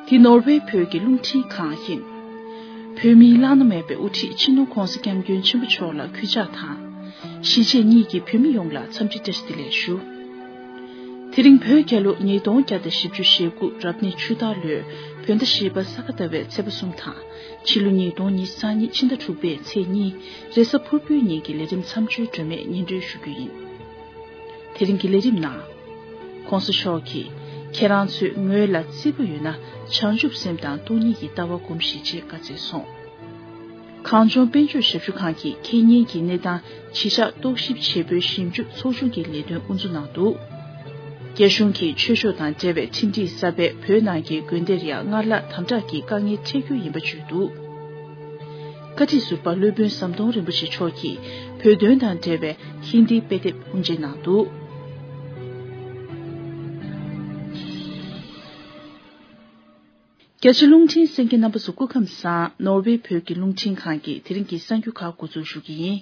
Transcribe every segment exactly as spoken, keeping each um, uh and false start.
འདི་ནོར་ཝེ་བོད་ཀྱི་རླུང་འཕྲིན་ཁང་ཡིན། བོད་མིའི་བླ་ན་མེད་པའི་དབུ་ཁྲིད་སྤྱི་ནོར་༧གོང་ས་༧སྐྱབས་མགོན་ཆེན་པོ་མཆོག་ལ་གུས་ཕྱག་དང་། གཞིས་བྱེས་གཉིས་ཀྱི་བོད་མི་ཡོངས་ལ་འཚམས་འདྲི་བཀྲ་ཤིས་བདེ་ལེགས་ཞུ། དེ་རིང་བོད་རྒྱལ་ལོ་ཉིས་སྟོང་བརྒྱ་དང་བཞི་བཅུ་ཞེ་དགུ་རབ་གནས་ཆུ་སྟག་ལོའི་བོད་ཟླ་བཞི་པ་ས་ག་ཟླ་བའི་ཚེས་པ་གསུམ་དང་། ཕྱི་ལོ་ཉིས་སྟོང་ཉི་ཤུ་རྩ་གཉིས་ཕྱི་ཟླ་དྲུག་པའི་ཚེས་གཉིས་རེས་གཟའ་ཕུར་བུའི་ཉིན་གྱི་ལས་རིམ་མཚམས་སྦྱོར་སྒྲོན་མེ་སྙན་སྒྲོན་ཞུ་རྒྱུ་ཡིན། དེ་རིང་གི་ལས་རིམ་ནང་། ྋགོང་ས་མཆོག་གིས་ཁྱེད་རང་ཚོའི་ངོས་ལ་བརྩེ་པོ་ཡོད་ན་བྱང་ཆུབ་སེམས་དང་སྟོང་ཉིད་ཀྱི་ལྟ་བ་སྒོམས་ཤིག་ཅེས་བཀའ་སྩལ་སོང་། གངས་ལྗོངས་དཔལ་འབྱོར་ཞབས་ཞུ་ཁང་གིས་ཁེ་ཉེན་གྱི་གནས་སྟངས་གཞིས་ཆགས་རྟོག་ཞིབ་བྱེད་པོའི་ཞིབ་འཇུག་ཚོགས་ཆུང་གི་ལས་དོན་དབུ་འཛུགས་གནང་འདུག་རྒྱ་གཞུང་གིས་ཆོས་ཕྱོགས་དང་འབྲེལ་བའི་ཁྲིམས་སྒྲིག་གསར་པས་བོད་ནང་གི་དགོན་སྡེར་ཡང་སྔར་ལྷག་དམ་དྲག་གི་དཀའ་ངལ་འཕྲད་རྒྱུ་ཡིན་པ་བརྗོད་འདུག་བཀའ་ཁྲི་ཟུར་པ་སློབ་དཔོན་ཟམ་གདོང་རིན་པོ་ཆེ་མཆོག་གིས་བོད་དོན་དང་འབྲེལ་བའི་ཧིན་དིའི་དཔེ་དེབ་དབུ་འབྱེད་གནང་འདུག་རྒྱ་ཆེ་རླུང་འཕྲིན་གསན་མཁན་རྣམ་པ་ཚོ་སྐུ་ཁམས་བཟང་། ནོར་ཝེ་བོད་ཀྱི་རླུང་འཕྲིན་ཁང་གིས་དེ་རིང་གི་གསར་འགྱུར་ཁག་འགོ་འཛུགས་ཞུ་གི་ཡིན།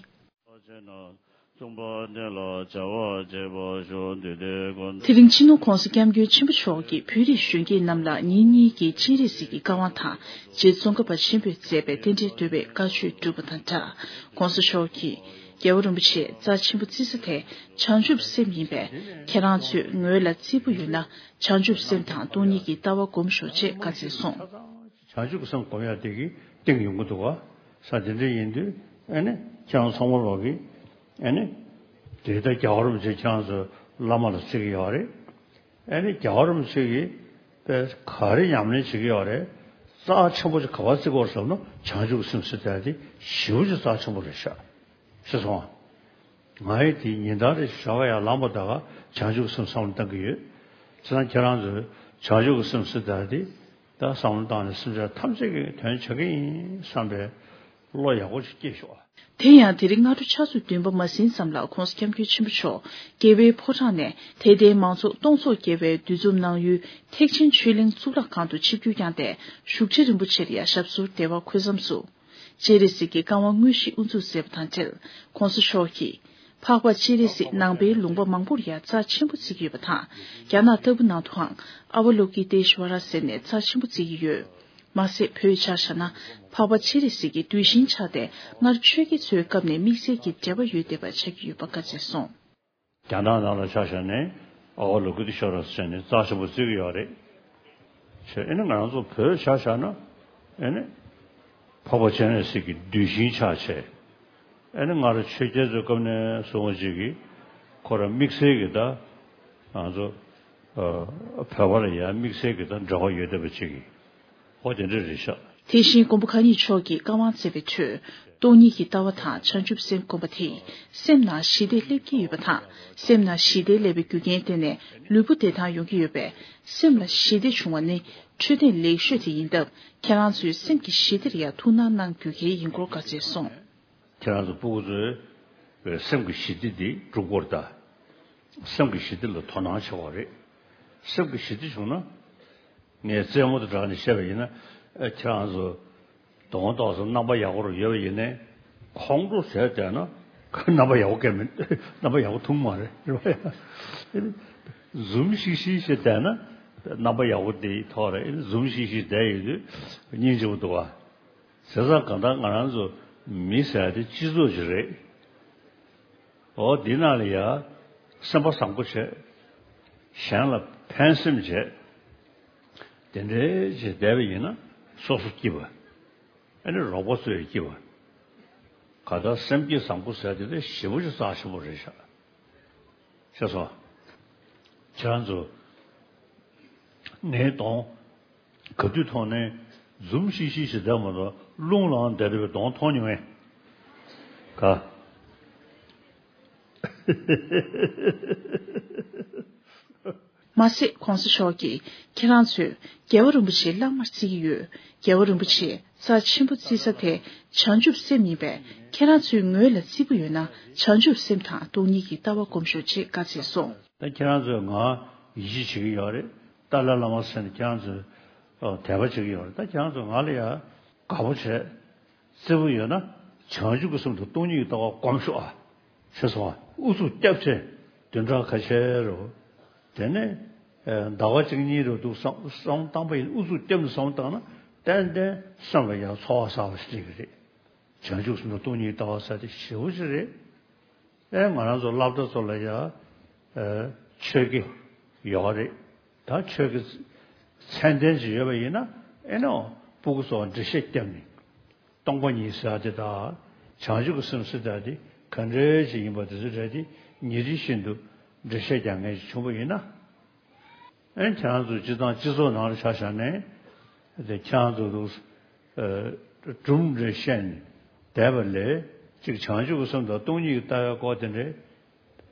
དེ་རིང་སྤྱི་ནོར་༧གོང་ས་༧སྐྱབས་མགོན་ཆེན་པོ་མཆོག་གིས་བོད་རིགས་གཞོན་སྐྱེས་རྣམས་ལ་ཉིན་གཉིས་ཀྱི་སྤྱན་རས་གཟིགས་ཀྱི་བཀའ་དབང་དང་། རྗེ་ཙོང་ཁ་པ་ཆེན་པོས་མཛད་པའི་རྟེན་འབྲེལ་བསྟོད་པའི་བཀའ་ཆོས་བསྒྲུབས་པ་དང་སྦྲགས། ྋགོང་ས་མཆོག་གིས་རྒྱལ་བ་རིན་པོ་ཆེའི་རྩ་ཆེན་པོ་བརྩི་ས་དེ་བྱང་ཆུབ་སེམས་ཡིན་པས། ཁྱེད་རང་ཚོའི་ངོས་ལ་བརྩེ་པོ་ཡོད་ན་བྱང་ཆུབ་སེམས་དང་སྟོང་ཉིད་ཀྱི་ལྟ་བ་སྒོམ་ཤོག་ཅེས་བཀའ་སྩལ་སོང་། བྱང་ཆུབ་ཀྱི་སེམས་སྒོམ་ཡ་དེ་གི་སྟེང་ཡོང་གི་འདུག་བ། ས་དེ་འདྲ་ཡིན་དུས་ཨ་ནི་ཁྱེད་རང་ཚང་མ་ལོག་གི་ཨ་ནི་དེ་ལྟར་རྒྱལ་བ་རིན་པོ་ཆེ་ཁྱེད་རང་ཚོ་བླ་མ་ལ་བརྩི་གི་ཡོད་རེད། ཨ་ནི་རྒྱལ་བ་རིན་པོ་ཆེ་གིས་དཔེ་ག་རེ་ཉམས་ལེན་བྱེད་ཀྱི་ཡོད་རེད། རྩ་ཆེན་པོ་ཅིག་ག་པར་བརྩི་དགོས་བསམ་ན་བྱང་ཆུབ་ཀྱི་སེམས་ཟེར་དེ་ཞེ་པོ་ཅིག་རྩ་ཆེན་པོ་རེད་ཤག་ཤེས་སོང་ང་། ང་ཡི་དེ་ཉིན་ལྟར་རེ་ཞོགས་ཀ་ཡར་ལངས་པ་ད་ག་བྱང་ཆུབ་ཀྱི་སེམས་བསམ་བློ་བཏང་གི་ཡོད། བྱས་ཙང་ཁྱེད་རང་ཚོས་བྱང་ཆུབ་ཀྱི་སེམས་ཟེར་དེ་ད་བསམ་བློ་བཏང་ནས་སེམས་ཅན་ཐམས་ཅད་ཀྱི་དོན་བྱེད་ཀྱི་ཡིན་བསམ་པའི་བློ་ཡག་པོ་ཞིག་སྐྱེས་ཤོག་དེ་ཡང་དེ་རིང་སྔ་དྲོ་ཆུ་ཚོད་བདུན་པ་མ་ཟིན་ཙམ་ལ་ྋགོང་ས་ྋསྐྱབས་མགོན་ཆེན་པོ་མཆོག་རྒྱལ་བའི་ཕོ་བྲང་ནས་དད་ལྡན་མང་ཚོགས་སྟོང་ཚོ་བརྒལ་བའི་འདུ་འཛོམས་གནང་ཡུལ་ཐེག་ཆེན་ཆོས་གླིང་གཙུག་ལག་ཁང་དུ་ཆིབས་བསྒྱུར་བསྐྱངས་ཏེ། བཞུགས་ཁྲི་རིན་པོ་ཆེར་ཡང་ཞབས་སོར་བདེ་བར་འཁོད་མཚམས་སུ། སྤྱན་རས་གཟིགས་ཀྱི་བཀའ་དབང་དངོས་གཞི་དབུ་འཛུགས་མཛད་པ་དང་འབྲེལ། ྋགོང་ས་མཆོག་གིས། འཕགས་པ་སྤྱན་རས་གཟིགས་ནང་པའི་ལུང་པ་མང་པོར་ཡང་རྩ་ཆེན་པོ་བརྩི་གི་ཡོད་པ་དང་། རྒྱ་ནག་ལྟ་བུ་ནང་དུའང་ཨ་བ་ལོ་ཀི་ཏེ་ཤྭ་ར་ཟེར་ནས་རྩ་ཆེན་པོ་བརྩི་གི་ཡོད། མ་ཟད་བོད་ཆ་བཞག་ན་འཕགས་པ་སྤྱན་རས་གཟིགས་ཀྱི་གདུལ་ཞིང་ཆགས་ཏེ། སྔར་ཆོས་རྒྱལ་ཚོའི་སྐབས་ནས་དམིགས་བསལ་གྱི་འབྲེལ་བ་ཡོད་བསྡད་པ་ཆགས་ཀྱི་ཡོད་པ་བཀའ་སྩལ་སོང་། རྒྱ་ནག་ནང་ལ་ཆ་བཞག་ནས་ཨ་བ་ལོ་ཀི་ཏེ་ཤྭ་ར་ཟེར་ནས་རྩ་ཆེན་པོ་བརྩི་གི་ཡོད་རེད། བྱས་ཨེ་ནི་ང་རང་ཚོ་བོད་ཆ་བཞག་ན་ཨེ་ནི་འཕགས་པ་སྤྱན་རས་གཟིགས་ཀྱི་གདུལ་ཞིང་ཆགས་བྱས། ཨེ་ནི་སྔར་ཆོས་རྒྱལ་ཚོའི་སྐབས་ནས་བཟུང་བ་ཅིག་གིས་ཁོ་རང་དམིགས་བསལ་གྱི་ད་ང་ཚོ་ཨ་བོད་པ་ལ་ཡང་དམིགས་བསལ་གྱི་ད་འབྲེལ་བ་ཡོད་བསྡད་པ་ཅིག་གིས། ཨོ་དེ་འདྲ་རེད་ཤག་དེ་བཞིན་མགོན་པོ་གང་ཉིད་མཆོག་གིས་བཀའ་དབང་སྩལ་བའི་ཁྲོད། སྟོང་ཉིད་ཀྱི་ལྟ་བ་དང་བྱང་ཆུབ་སེམས་བསྒོམ་པ་དེས་སེམས་ནང་ཞི་བདེ་སླེབས་ཀྱི་ཡོད་པ་དང་། སེམས་ནང་ཞི་བདེ་སླེབས་པའི་རྒྱུ་རྐྱེན་བརྟེན་ནས་ལུས་པོ་བདེ་ཐང་ཡོང་གི་ཡོད་པས། སེམས་ལ་ཞི་བདེ་བྱུང་བ་ནི་འཕྲོད་བསྟེན་ལེགས་ཤོས་དེ་ཡིན་སྟབས། ཁྱེད་རང་ཚོས་སེམས་ཀྱི་ཞི་བདེར་ཡང་ཐུགས་སྣང་གནང་དགོས་གལ་ཡིན་སྐོར་བཀའ་སྩལ་སོང་། ཁྱེད་རང་ཚོ་སྤུ་གུ་ཚོས་སེམས་ཀྱི་ཞི་བདེ་འདི་སྒྲུབ་དགོས་རེད་ད། སེམས་ཀྱི་ཞི་བདེ་ལ་དོ་སྣང་བྱེད་དགོས་རེད། སེམས་ཀྱི་ཞི་བདེ་བྱུང་ན། ངས་རྩེད་མོ་དང་སྦྲགས་ནས་བཤད་པ་ཡིན་ན། ཨ་ཁྱེད་རང་ཚོ་གདོང་ཏོག་ཙམ་རྣམ་པ་ཡག་པོ་རུ་ཡོད་པ་ཡིན་ནའི། ཁོང་ཁྲོ་བྱས་བསྡད་ན་རྣམ་པ་ཡག་པོ་སྐྱེ་མི། རྣམ་པ་ཡག་པོ་ཐོན་མ་རེད། རེད་པ། འཛུམ་ཤིག་ཤིག་བྱས་བསྡད་ན་རྣམ་པ་ཡག་པོ་དེ་ཐོག་རེད། འཛུམ་ཤིག་ཤིག་བསྡད་ཡོད་དུས་སྙིང་རྗེ་པོ་འདུག་བ། བྱས་ཙང་གང་ལྟར་ང་རང་ཚོ་མི་ཟེར་ཡ་དེ་སྤྱི་ཚོགས་ཅིག་རེད། འོ་འདི་ནང་ལ་ཡ་སེམས་པ་བཟང་པོ་བྱས། གཞན་ལ་ཕན་སེམས་བྱས། དེ་འདྲའི་ཅིག་བསྡད་པ་ཡིན་ན་སོ་སོ་སྐྱིད་པ། ཨ་ནི་རོགས་པ་ཚོ་ཡི་སྐྱིད་པ། ག་ད་སེམས་བསྐྱེད་བཟང་པོ་ཟེར་དེ་ལས་ཞེ་པོ་ཅིག་རྩ་ཆེན་པོ་རེད་ཤག་ཤེས་སོང་། ཁྱེད་རང་ཚོ་ངའི་གདོང་ག་དུས་མཐོང་ནའི་འཛུམ་ཤིག་ཤིག་ཞིག་བསྡད་མ་གཏོགས་རླུང་ལངས་བསྡད་བསྡད་པའི་གདོང་མཐོང་མྱོང་ངས། ག་མ་ཟད་ྋགོང་ས་མཆོག་གིས་ཁྱེད་རང་ཚོས་རྒྱལ་བ་རིན་པོ་ཆེ་བླ་མར་བརྩི་གི་ཡོད། རྒྱལ་བ་རིན་པོ་ཆེ་རྩ་ཆེན་པོ་བརྩི་ས་དེ་བྱང་ཆུབ་སེམས་ཡིན་པས། ཁྱེད་རང་ཚོའི་ངོས་ལ་བརྩེ་པོ་ཡོད་ན་བྱང་ཆུབ་སེམས་དང་སྟོང་ཉིད་ཀྱི་ལྟ་བ་སྒོམ་ཤོག་ཅེས་བཀའ་སྩལ་སོང་། ད་ཁྱེད་རང་ཚོས་ང་ཡིད་ཆེས་བྱེད་ཀྱི་ཡོད་རེད། ཏཱ་ལའི་བླ་མ་ཟེར་ནས་ཁྱེད་རང་ཚོས་དད་པ་བྱེད་ཀྱི་ཡོད་རེད། ད་ཁྱེད་རང་ཚོས་ང་ལ་ཡ་དགའ་པོ་བྱས། བརྩེ་པོ་ཡོད་ན་བྱང་ཆུབ་ཀྱི་སེམས་དང་སྟོང་ཉིད་ཀྱི་ལྟ་བ་སྒོམ་ཤོག་ཨ། ཤེས་སོང་ཨ། ཨུ་ཚུགས་རྒྱབ་བྱས་བདུན་ཕྲག་ཁ་ཤས་རེད། དེ་ནས་ ཟླ་བ་གཅིག་གཉིས་རུ་འདུག་བསམ་བསམ་བཏང་པ་ཡིན། ཨུ་ཚུགས་བརྒྱབ་ནས་བསམ་བཏང་ན་ཏན་ཏན་སེམས་ལ་ཡང་ཚོར་བ་ཟ་བ་ཞིག་སླེབས་ཀྱི་རེད། བྱང་ཆུབ་སེམས་དང་སྟོང་ཉིད་ལྟ་བ་ཟེར་དེ་ཞེ་པོ་ཅིག་རེད། ཨེ་ང་རང་ཚོ་སློབ་གྲྭ་ཚོ་ལ་ཡང་ཆོས་དགེ་ཡོད་རེད། ད་ཆོས་ཀྱི་མཚན་ལྡན་ཅིག་ཡོད་པ་ཡིན་ན་ཨེ་ནོ་སྤུ་གུ་ཚོ་འགྲེལ་བཤད་བརྒྱབ་ནས་སྟོང་པ་ཉིད་ཟེར་དེ་དང་བྱང་ཆུབ་ཀྱི་སེམས་ཟེར་དེ་ག་འདྲ་ཅིག་ཡིན་པ་དེ་ཚོ་རེད་དེ་ཉིན་རེ་བཞིན་དུ་འགྲེལ་བཤད་རྒྱག་མཁན་ཅིག་བྱུང་བ་ཡིན་ན། ཨེ་ཁྱེད་རང་ཚོ་སྤྱི་བཏང་སྤྱི་ཚོགས་ནང་ལ་ཆ་བཞག་ནས་དེ་ཁྱེད་རང་ཚོ་ལུགས་སྒྲུང་རེ་བཤད་ནས་བསྡད་པ་ལས་གཅིག་བྱང་ཆུབ་ཀྱི་སེམས་དང་སྟོང་ཉིད་ཀྱི་ལྟ་བའི་སྐོར་དེ་འདྲའི་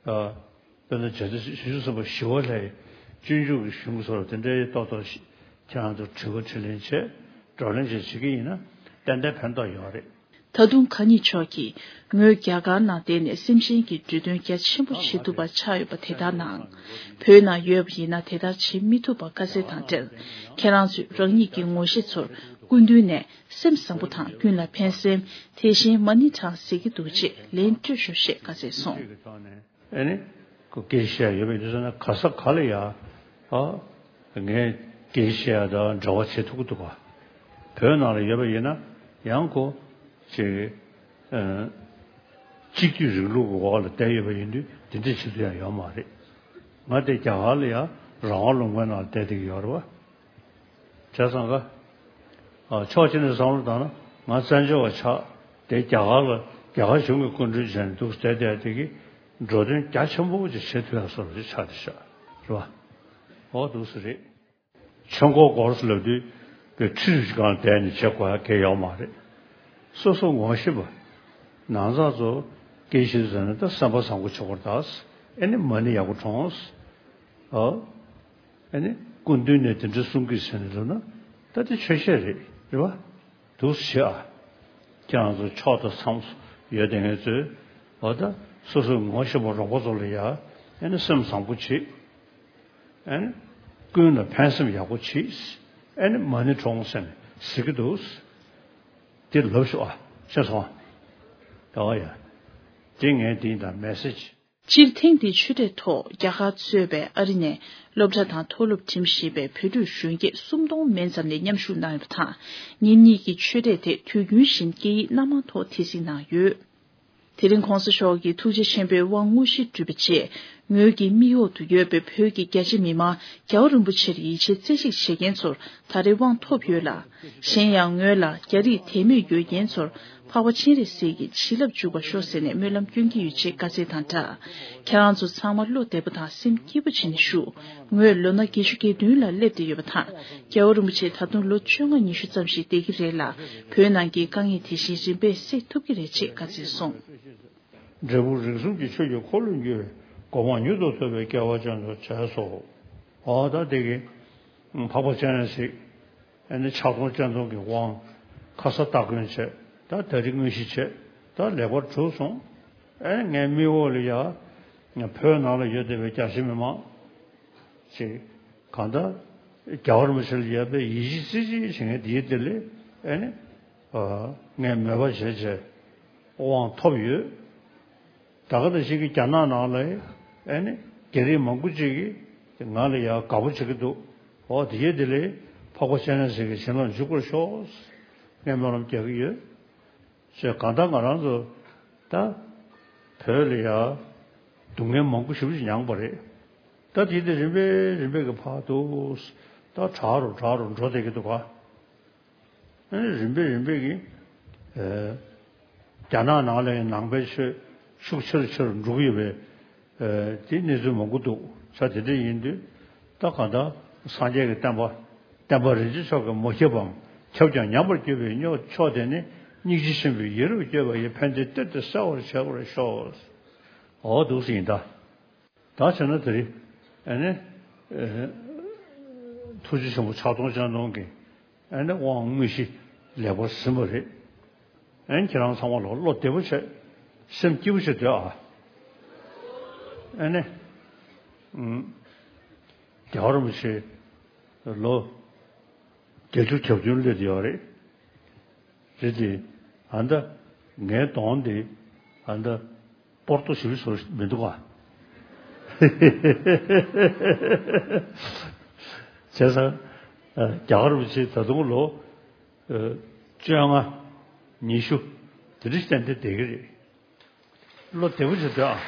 དཔེར་ན་རྗེ་བཙུན་བྱང་ཆུབ་སེམས་དཔའ་ཞི་བ་ལྷའི་སྤྱོད་འཇུག་གི་གཞུང་སོགས་དེ་འདྲའི་ཏོག་ཏོག་ཁྱེད་རང་ཚོ་དྲི་བ་དྲིས་ལན་བྱས་བགྲོ་གླེང་བྱས་བྱེད་ཀྱི་ཡིན་ན་ཏན་ཏན་ཕན་ཐོགས་ཡོད་རེད། ད་དུང་ཁ་ཉིན་མཆོག་གིས་ངོས་རྒྱ་གར་ནང་བསྡད་ནས་སེམས་ཅན་གྱི་འབྲི་དོན་རྒྱ་ཆེན་པོ་བྱེད་ཐུབ་པ་ཆགས་ཡོད་པ་དེ་ལྟར་ན། བོད་ནང་ཡོད་པ་ཡིན་ན་དེ་ལྟར་བྱེད་མི་ཐུབ་པ་དཀའ་ཚེགས་དང་འབྲེལ། ཁྱེད་རང་ཚོས་རང་ཉིད་ཀྱི་ངོ་ཤེས་ཚོར་སྐུ་མདུན་ནས་སེམས་བཟང་པོ་དང་ཀུན་ལ་ཕན་སེམས་དེ་བཞིན་མ་ཎི་བགྲང་ཟེར་གྱི་འདུག་ཅེས་ལན་སྤྲོད་ཤོག་ཞེས་བཀའ་སྩལ་སོང་། ཨེ་ནི། ཁོ་སྐད་ཆ་བཤད་ཡ་ཡོད་པ་ཡིན་དུས་ཙང་ན་ག་ས་ག་ལ་ཡ། ཨ། ངས་སྐད་ཆ་བཤད་ཡ་དང་འབྲེལ་བ་བྱེད་ཐུབ་ཀྱི་འདུག་ག་བོད་ནང་ལ་ཡོད་པ་ཡིན་ན་ཡང་ཁོ། ཅིག་ཨ། གཅིག་སྡུད་རིང་ལུགས་ཀྱི་འོག་ལ་བསྡད་ཡོད་པ་ཡིན་དུས་དེ་འདྲ་བྱེད་ཐུབ་ཡ་ཡོད་མ་རེད། ང་དེ་རྒྱ་གར་ལ་ཡ་རང་དབང་ལུང་པའི་ནང་ལ་བསྡད་བསྡད་ཀྱི་ཡོད་རེད་བ། བྱས་ཙང་ཀ། ཨ། ཕྱོགས་གཅིག་ནས་བསམ་བློ་བཏང་ན་ང་བཙན་བྱོལ་བ་ཆགས་དེ་རྒྱ་གར་ལ་རྒྱ་གར་གཞུང་གི་སྐུ་མགྲོན་བྱས་ནས་འདུག་བསྡད་བསྡད་དེ་གི་འགྲོ་དོན་རྒྱ་ཆེན་པོ་ཅིག་བྱེད་ཐུབ་ཡ་བཟོ་འདྲ་ཅིག་ཆགས་བསྡད་ཤག་རེད་བ། འོ་འདུག་སེ་རེད། ཆོས་འཁོར་སྐོར་ཟེར་ལབ་དུས་པའི་ཁྲི་རུ་ཅིག་སྒང་བསྡད་ནས་བྱེད་དགོས་ཡ་གང་ཡང་ཡོད་མ་རེད། སོ་སོ་ངོ་ཤེས་པ། ནང་ཚགས་ཚོ་སྐད་ཆ་ཟེར་ན་ད་བསམ་པ་བཟང་པོ་བྱེད་དགོས་རེད་ད། ཨེ་ནི་མ་ཎི་ཡག་པོ་བགྲངས། ཨོ། ཨ་ནི་སྐུ་མདུན་ནས་དེ་འདྲ་གསུང་གི་ཟེར་ནས་འདུག་ན་ད་དེ་ཆོས་བཤད་རེད་རེད་བ། འདུག་སེ་བྱེད་ཨ། ཁྱེད་རང་ཚོ་ཕྱོགས་དང་མཚམས་སུ་ཡོད་དེ་ངས་ཚོས་འོ་ད་སོ་སོའི་ངོ་ཤེས་པ་རོགས་པ་ཚོ་ལ་ཡ་ཨ་ནི་སེམས་བཟང་པོ་བྱེད། ཨ་ནི་ཀུན་ལ་ཕན་སེམས་ཡག་པོ་བྱེད། ཨ་ནི་མ་ཎི་བགྲངས་ཟེར་ནས་ཟེར་གི་འདུག་དེ་ལབ་ཤོག་ཨ། ཤེས་སོང་ཨ། ད་བ་ཡ། དེ་ངས་དེ་ཡིན་ད་མེ་སེ་ཇི། སྤྱིར་ཐེངས་འདིའི་ཆོས་གྲོས་ཐོག་རྒྱ་གར་གཙོས་པའི་ཨ་རི་ནས་སློབ་གྲྭ་དང་མཐོ་སློབ་འགྲིམ་བཞིན་པའི་བོད་ཕྲུག་གཞོན་སྐྱེས་སུམ་སྟོང་མན་ཙམ་ནས་མཉམ་ཞུགས་གནང་ཡོད་པ་དང་། ཉིན་གཉིས་ཀྱི་ཆོས་གྲོས་དེ་དུས་རྒྱུན་བཞིན་སྐད་ཡིག་སྣ་མང་ཐོག་དེ་གཟིགས་གནང་ཡོད། དེ་རིང་གོང་ས་མཆོག་གིས་ཐུགས་རྗེ་ཆེན་པོའི་དབང་དངོས་གཞིར་གྱུར་པའི་རྗེས་ངོས་ཀྱི་མིག་འོག་ཏུ་ཡོད་པའི་བོད་ཀྱི་རྒྱ་ཆེ་མི་མང་རྒྱལ་བ་རིན་པོ་ཆེར་ཡིད་ཆེས་རྩེ་གཅིག་བྱེད་མཁན་ཚོར་ད་རེས་དབང་ཐོབ་ཡོད་ལ། གཞན་ཡང་ངོས་ལ་རྒྱ་རིགས་དད་མོས་ཡོད་མཁན་ཚོར་འཕགས་པ་སྤྱན་རས་གཟིགས་ཀྱི་བྱིན་རླབས་འཇུག་པར་ཤོག་ཟེར་ནས་སྨོན་ལམ་སྐྱོན་གྱི་ཡོད་ཅེས་བཀའ་སྩལ་དང་སྦྲགས། ཁྱེད་རང་ཚོ་ཚང་མ་བློ་བདེ་པོ་དང་སེམས་སྐྱིད་པོ་བྱས་ནས་བཞུགས། ངོས་ལོ་ན་བརྒྱད་ཅུ་གྱ་བདུན་ལ་སླེབས་བསྡད་ཡོད་པ་དང་། རྒྱལ་བ་རིན་པོ་ཆེ་ད་དུང་ལོ་བཅོ་ལྔ་ཉི་ཤུ་ཙམ་ཞིག་བསྡད་ཀྱི་རེད་ལ། བོད་ནང་གི་དཀའ་ངལ་དེ་བཞིན་རིམ་པས་སེལ་ཐུབ་ཀྱི་རེད་ཅེས་བཀའ་སྩལ་སོང་། འབྲས་བུ་རིགས་གསུམ་གྱི་ཆོས་ཀྱི་འཁོར་ལོས་སྒྱུར་བའི་གོ་འཕང་མྱུར་དུ་ཐོབ་པའི་སྐལ་བ་ཅན་དུ་བྱས་སོ། འོ་ད་དེ་གི་འཕགས་པ་སྤྱན་རས་གཟིགས། ཨ་ནི་ཕྱག་སྟོང་སྤྱན་སྟོང་གི་དབང་། ཁ་ས་སྟ་གོན་བྱས། ད་ད་རེས་དངོས་གཞི་བྱས། ད་ལེགས་པར་གྲུབ་སོང་། ཨ་ནི་ངའི་མིག་འོག་ལ་ཡ། བོད་ནང་ལ་ཡོད་བསྡད་པའི་རྒྱ་ཆེ་མི་མང་། ཅིག་གང་ལྟར། རྒྱལ་བ་རིན་པོ་ཆེ་ལ་ཡོད་པའི་ཡིད་ཆེས་རྩེ་གཅིག་བྱེད་མཁན་དེའི་དེ་ལས། ཨ་ནི། ཨ། ངས་མོས་པ་བྱས་བྱས། དབང་ཐོབ་ཡོད། ད་ག་ནང་བཞིན་གྱི་རྒྱ་ནག་ནང་ལ་ཨེ་ནི་རྒྱ་རིགས་མང་པོ་ཅིག་གིས་ང་ལ་ཡང་དགའ་པོ་བྱེད་ཀྱི་འདུག་འོ་དེ་ཡས་དེ་ལས་འཕགས་པ་སྤྱན་རས་གཟིགས་ཀྱི་བྱིན་རླབས་འཇུག་པར་ཤོག་ངས་སྨོན་ལམ་རྒྱག་གི་ཡོད། ཞེས་གང་ལྟར་ང་རང་ཚོ་ད་བོད་ལ་ཡང་སྡུག་བསྔལ་མང་པོ་ཞེ་པོ་ཅིག་མྱངས་པ་རེད། ད་དེ་དེ་རིམ་པས་རིམ་པས་ཀྱི་བར་དུ་ད་དྲག་རུ་དྲག་རུ་འགྲོ་བསྡད་ཀྱི་འདུག་ག་ཨ་ནི་རིམ་པས་རིམ་པས་ཀྱིས། ཨེ། རྒྱ་ནག་ནང་ལ་ཡང་ནང་པའི་ཆོས་ཤུགས་ཆེ་རུ་ཆེ་རུ་འགྲོ་གི་ཡོད་པའི། ཨེ། དེ་གནས་ཚུལ་མང་པོ་འདུག་ས་དེ་འདྲ་ཡིན་དུས། ད་གང་ལྟར་སངས་རྒྱས་ཀྱི་བསྟན་པ། བསྟན་པ་རིན་ཆེན་མཆོག་གིས་མ་ཁྱབ་པའམ་ཁྱབ་ཀྱང་ཉམས་པར་གྱུར་པའི་མཆོག་དེ་ནི་སྙིང་རྗེ་ཆེན་པོས་ཡིད་རབ་བསྐྱོད་པ་ཡི་ཕན་བདེའི་གཏེར་དེ་གསལ་བར་བྱེད་པར་ཤོག་འོ་འདུག་སེ་ཡིན་ད། ད་བྱས་ན་དེ་རིང་ཨ་ནི་ཨ་ཐུགས་རྗེ་ཆེན་པོ་ཕྱག་སྟོང་སྤྱན་སྟོང་གི་ཨ་ནི་དབང་དངོས་གཞི་ལེགས་པར་ཟིན་པ་རེད། ཨ་ནི་ཁྱེད་རང་ཚང་མ་ལ་བློ་བདེ་པོ་བྱས། སེམས་སྐྱིད་པོ་བྱས་སྡོད་ཨ། ཨ་ནི་ཨུམ། རྒྱལ་བ་རིན་པོ་ཆེ་ལོ་བརྒྱད་ཅུ་གྱ་བདུན་སླེབས་ཡོད་རེད། རེད་དེ། ཨ་ད་ངའི་གདོང་དེ་ཨ་ད་སྤོར་ཏོ་ཞིག་བཟོ་མི་འདུག་ག་བྱས་ཙང་རྒྱ་གར་རུ་ཆེ་ད་དུང་ལོ་བཅོ་ལྔ་ཉི་ཤུ་དེ་འདྲ་ཞིག་ཏན་ཏན་བསྡད་ཀྱི་རེད། བློ་བདེ་པོ་བྱེད་དོ་ཨ།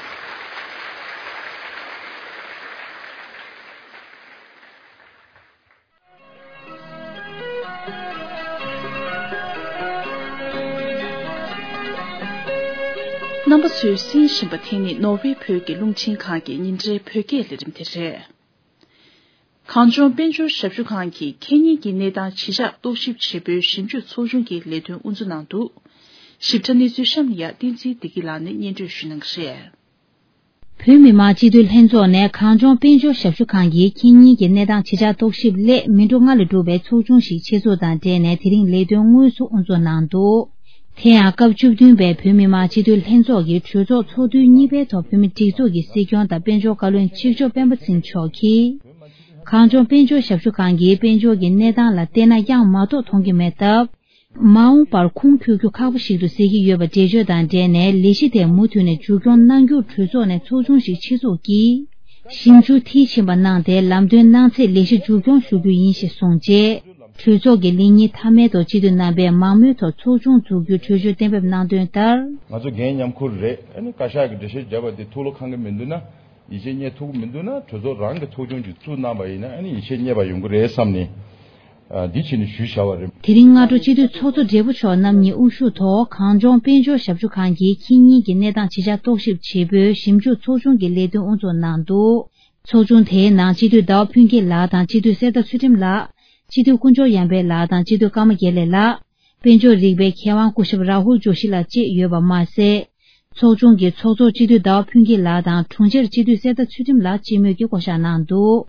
རྣམ་པ་ཚོས་གསན་བཞིན་པ་དེ་ནི་ནོར་ཝེ་བོད་ཀྱི་རླུང་འཕྲིན་ཁང་གི་ཉིན་རེའི་བོད་སྐད་ལས་རིམ་དེ་རེད། གངས་ལྗོངས་དཔལ་འབྱོར་ཞབས་ཞུ་ཁང་གིས་ཁེ་ཉིན་གྱི་གནས་སྟངས་ཇི་ཆགས་རྟོག་ཞིབ་བྱེད་པོའི་ཞིབ་འཇུག་ཚོགས་ཆུང་གི་ལས་དོན་དབུ་འཛུགས་གནང་འདུག་ཞིབ་ཕྲ་གནས་ཚུལ་གཤམ་ལ་ཡ་བསྟན་འཛིན་བདེ་སྐྱིད་ལགས་ནས་སྙན་སྒྲོན་ཞུ་གནང་གི་རེད། བོད་མི་མང་སྤྱི་འཐུས་ལྷན་ཚོགས་ནས་གངས་ལྗོངས་དཔལ་འབྱོར་ཞབས་ཞུ་ཁང་གིས་ཁེ་ཉིན་གྱི་གནས་སྟངས་ཇི་ཆགས་རྟོག་ཞིབ་སླད་མི་འགྲོ་ལྔ་ལ་གྲུབ་པའི་ཚོགས་ཆུང་ཞིག་ཆེད་འཛུགས་དང་འབྲེལ་ནས་དེ་རིང་ལས་དོན་དངོས་སུ་དབུ་འཛུགས་གནང་འདུག་དེ་ཡང་སྐབས་བཅུ་བདུན་པའི་བོད་མི་མང་སྤྱི་འཐུས་ལྷན་ཚོགས་ཀྱི་གྲོས་ཚོགས་ཚོགས་དུས་གཉིས་པའི་ཐོག་བོད་མི་སྒྲིག་འཛུགས་ཀྱི་སྲིད་སྐྱོང་དང་དཔལ་འབྱོར་བཀའ་བློན་གཅིག་ལྕོགས་སྤེན་པ་ཚེ་རིང་མཆོག་གིས། གངས་ལྗོངས་དཔལ་འབྱོར་ཞབས་ཞུ་ཁང་གིས་དཔལ་འབྱོར་གྱི་གནས་སྟངས་ལ་བལྟས་ན་ཡང་མ་གཏོགས་མཐོང་གི་མེད་སྟབས། མ་འོངས་པར་ཁུངས་འཁྱོལ་རྒྱུ་ཁག་པོ་ཞིག་ཏུ་གཟིགས་ཀྱི་ཡོད་པ་འགྲེལ་བརྗོད་དང་འབྲེལ་ནས་ལས་གཞི་དེ་མུ་མཐུད་ནས་མཇུག་སྐྱོང་གནང་རྒྱུར་གྲོས་ཚོགས་ནས་ཚོགས་ཆུང་ཞིག་ཆེད་འཛུགས་ཀྱིས་ཞིབ་འཇུག་མཐིལ་ཕྱིན་པ་གནང་སྟེ་ལམ་སྟོན་གནང་ཚེ་ལས་གཞི་མཇུག་སྐྱོང་ཞུ་རྒྱུ་ཡིན་ཞེས་གསུངས་རྗེས། གྲོས་ཚོགས་ཀྱི་ལས་ཉིན་མཐའ་མའི་ཐོག་སྤྱི་འཐུས་རྣམ་པས་མང་མོས་ཐོག་ཚོགས་ཆུང་འཛུགས་རྒྱུའི་གྲོས་ཆོད་གཏན་འབེབས་གནང་དོན་ལྟར། ང་ཚོ་འགན་མཉམ་ཁུར་རེད། ཨ་ནི་བཀའ་ཤག་གི་འགྲེལ་བཤད་བརྒྱབ་པ་དེ་ཐུགས་བློ་ཁེངས་ཀྱི་མི་འདུག་ན། ཡིད་ཆེས་རྙེད་ཐུབ་ཀྱི་མི་འདུག་ན་གྲོས་ཚོགས་རང་གི་ཚོགས་ཆུང་ཅིག་བཙུགས་གནང་པ་ཡིན་ན་ཨ་ནི་ཡིད་ཆེས་རྙེད་པ་ཡོང་གི་རེད་བསམ་ནས། ཨ་འདི་བྱས་ནས་ཞུས་བཞག་པ་རེད། དེ་རིང་སྔ་དྲོ་སྤྱི་འཐུས་ཚོགས་གཙོ་སྦྲེལ་པོ་མཆོག་རྣམ་གཉིས་དབུ་བཞུགས་ཐོག་གངས་ལྗོངས་དཔལ་འབྱོར་ཞབས་ཞུ་ཁང་གིས་ཁེ་ཉིན་གྱི་གནས་སྟངས་ཇི་ཆགས་རྟོག་ཞིབ་བྱེད་པོའི་ཞིབ་འཇུག་ཚོགས་ཆུང་གི་ལས་དོན་དབུ་འཛུགས་གནང་འདུག་ཚོགས་ཆུང་དེའི་ནང་སྤྱི་འཐུས་ཟླ་བ་ཕུན་སྐྱིད་ལགས་དང་སྤྱི་འཐུས་གསེར་རྟ་ཚུལ་ཁྲིམས་ལགས། སྤྱི་འཐུས་དཀོན་མཆོག་ཡར་འཕེལ་ལགས་དང་སྤྱི་འཐུས་ཀརྨ་དགེ་ལེགས་ལགས། དཔལ་འབྱོར་རིག་པའི་མཁས་དབང་སྐུ་ཞབས་རཱ་ཧུལ་ཇོ་ཤི་ལགས་བཅས་ཡོད་པ་མ་ཟད། ཚོགས་ཆུང་གི་ཚོགས་གཙོ་སྤྱི་འཐུས་ཟླ་བ་ཕུན་སྐྱིད་ལགས་དང་དྲུང་ཆེར་སྤྱི་འཐུས་གསེར་རྟ་ཚུལ་ཁྲིམས་ལགས་སྤྱི་མོས་ཀྱིས་བསྐོ་བཞག་གནང་འདུག་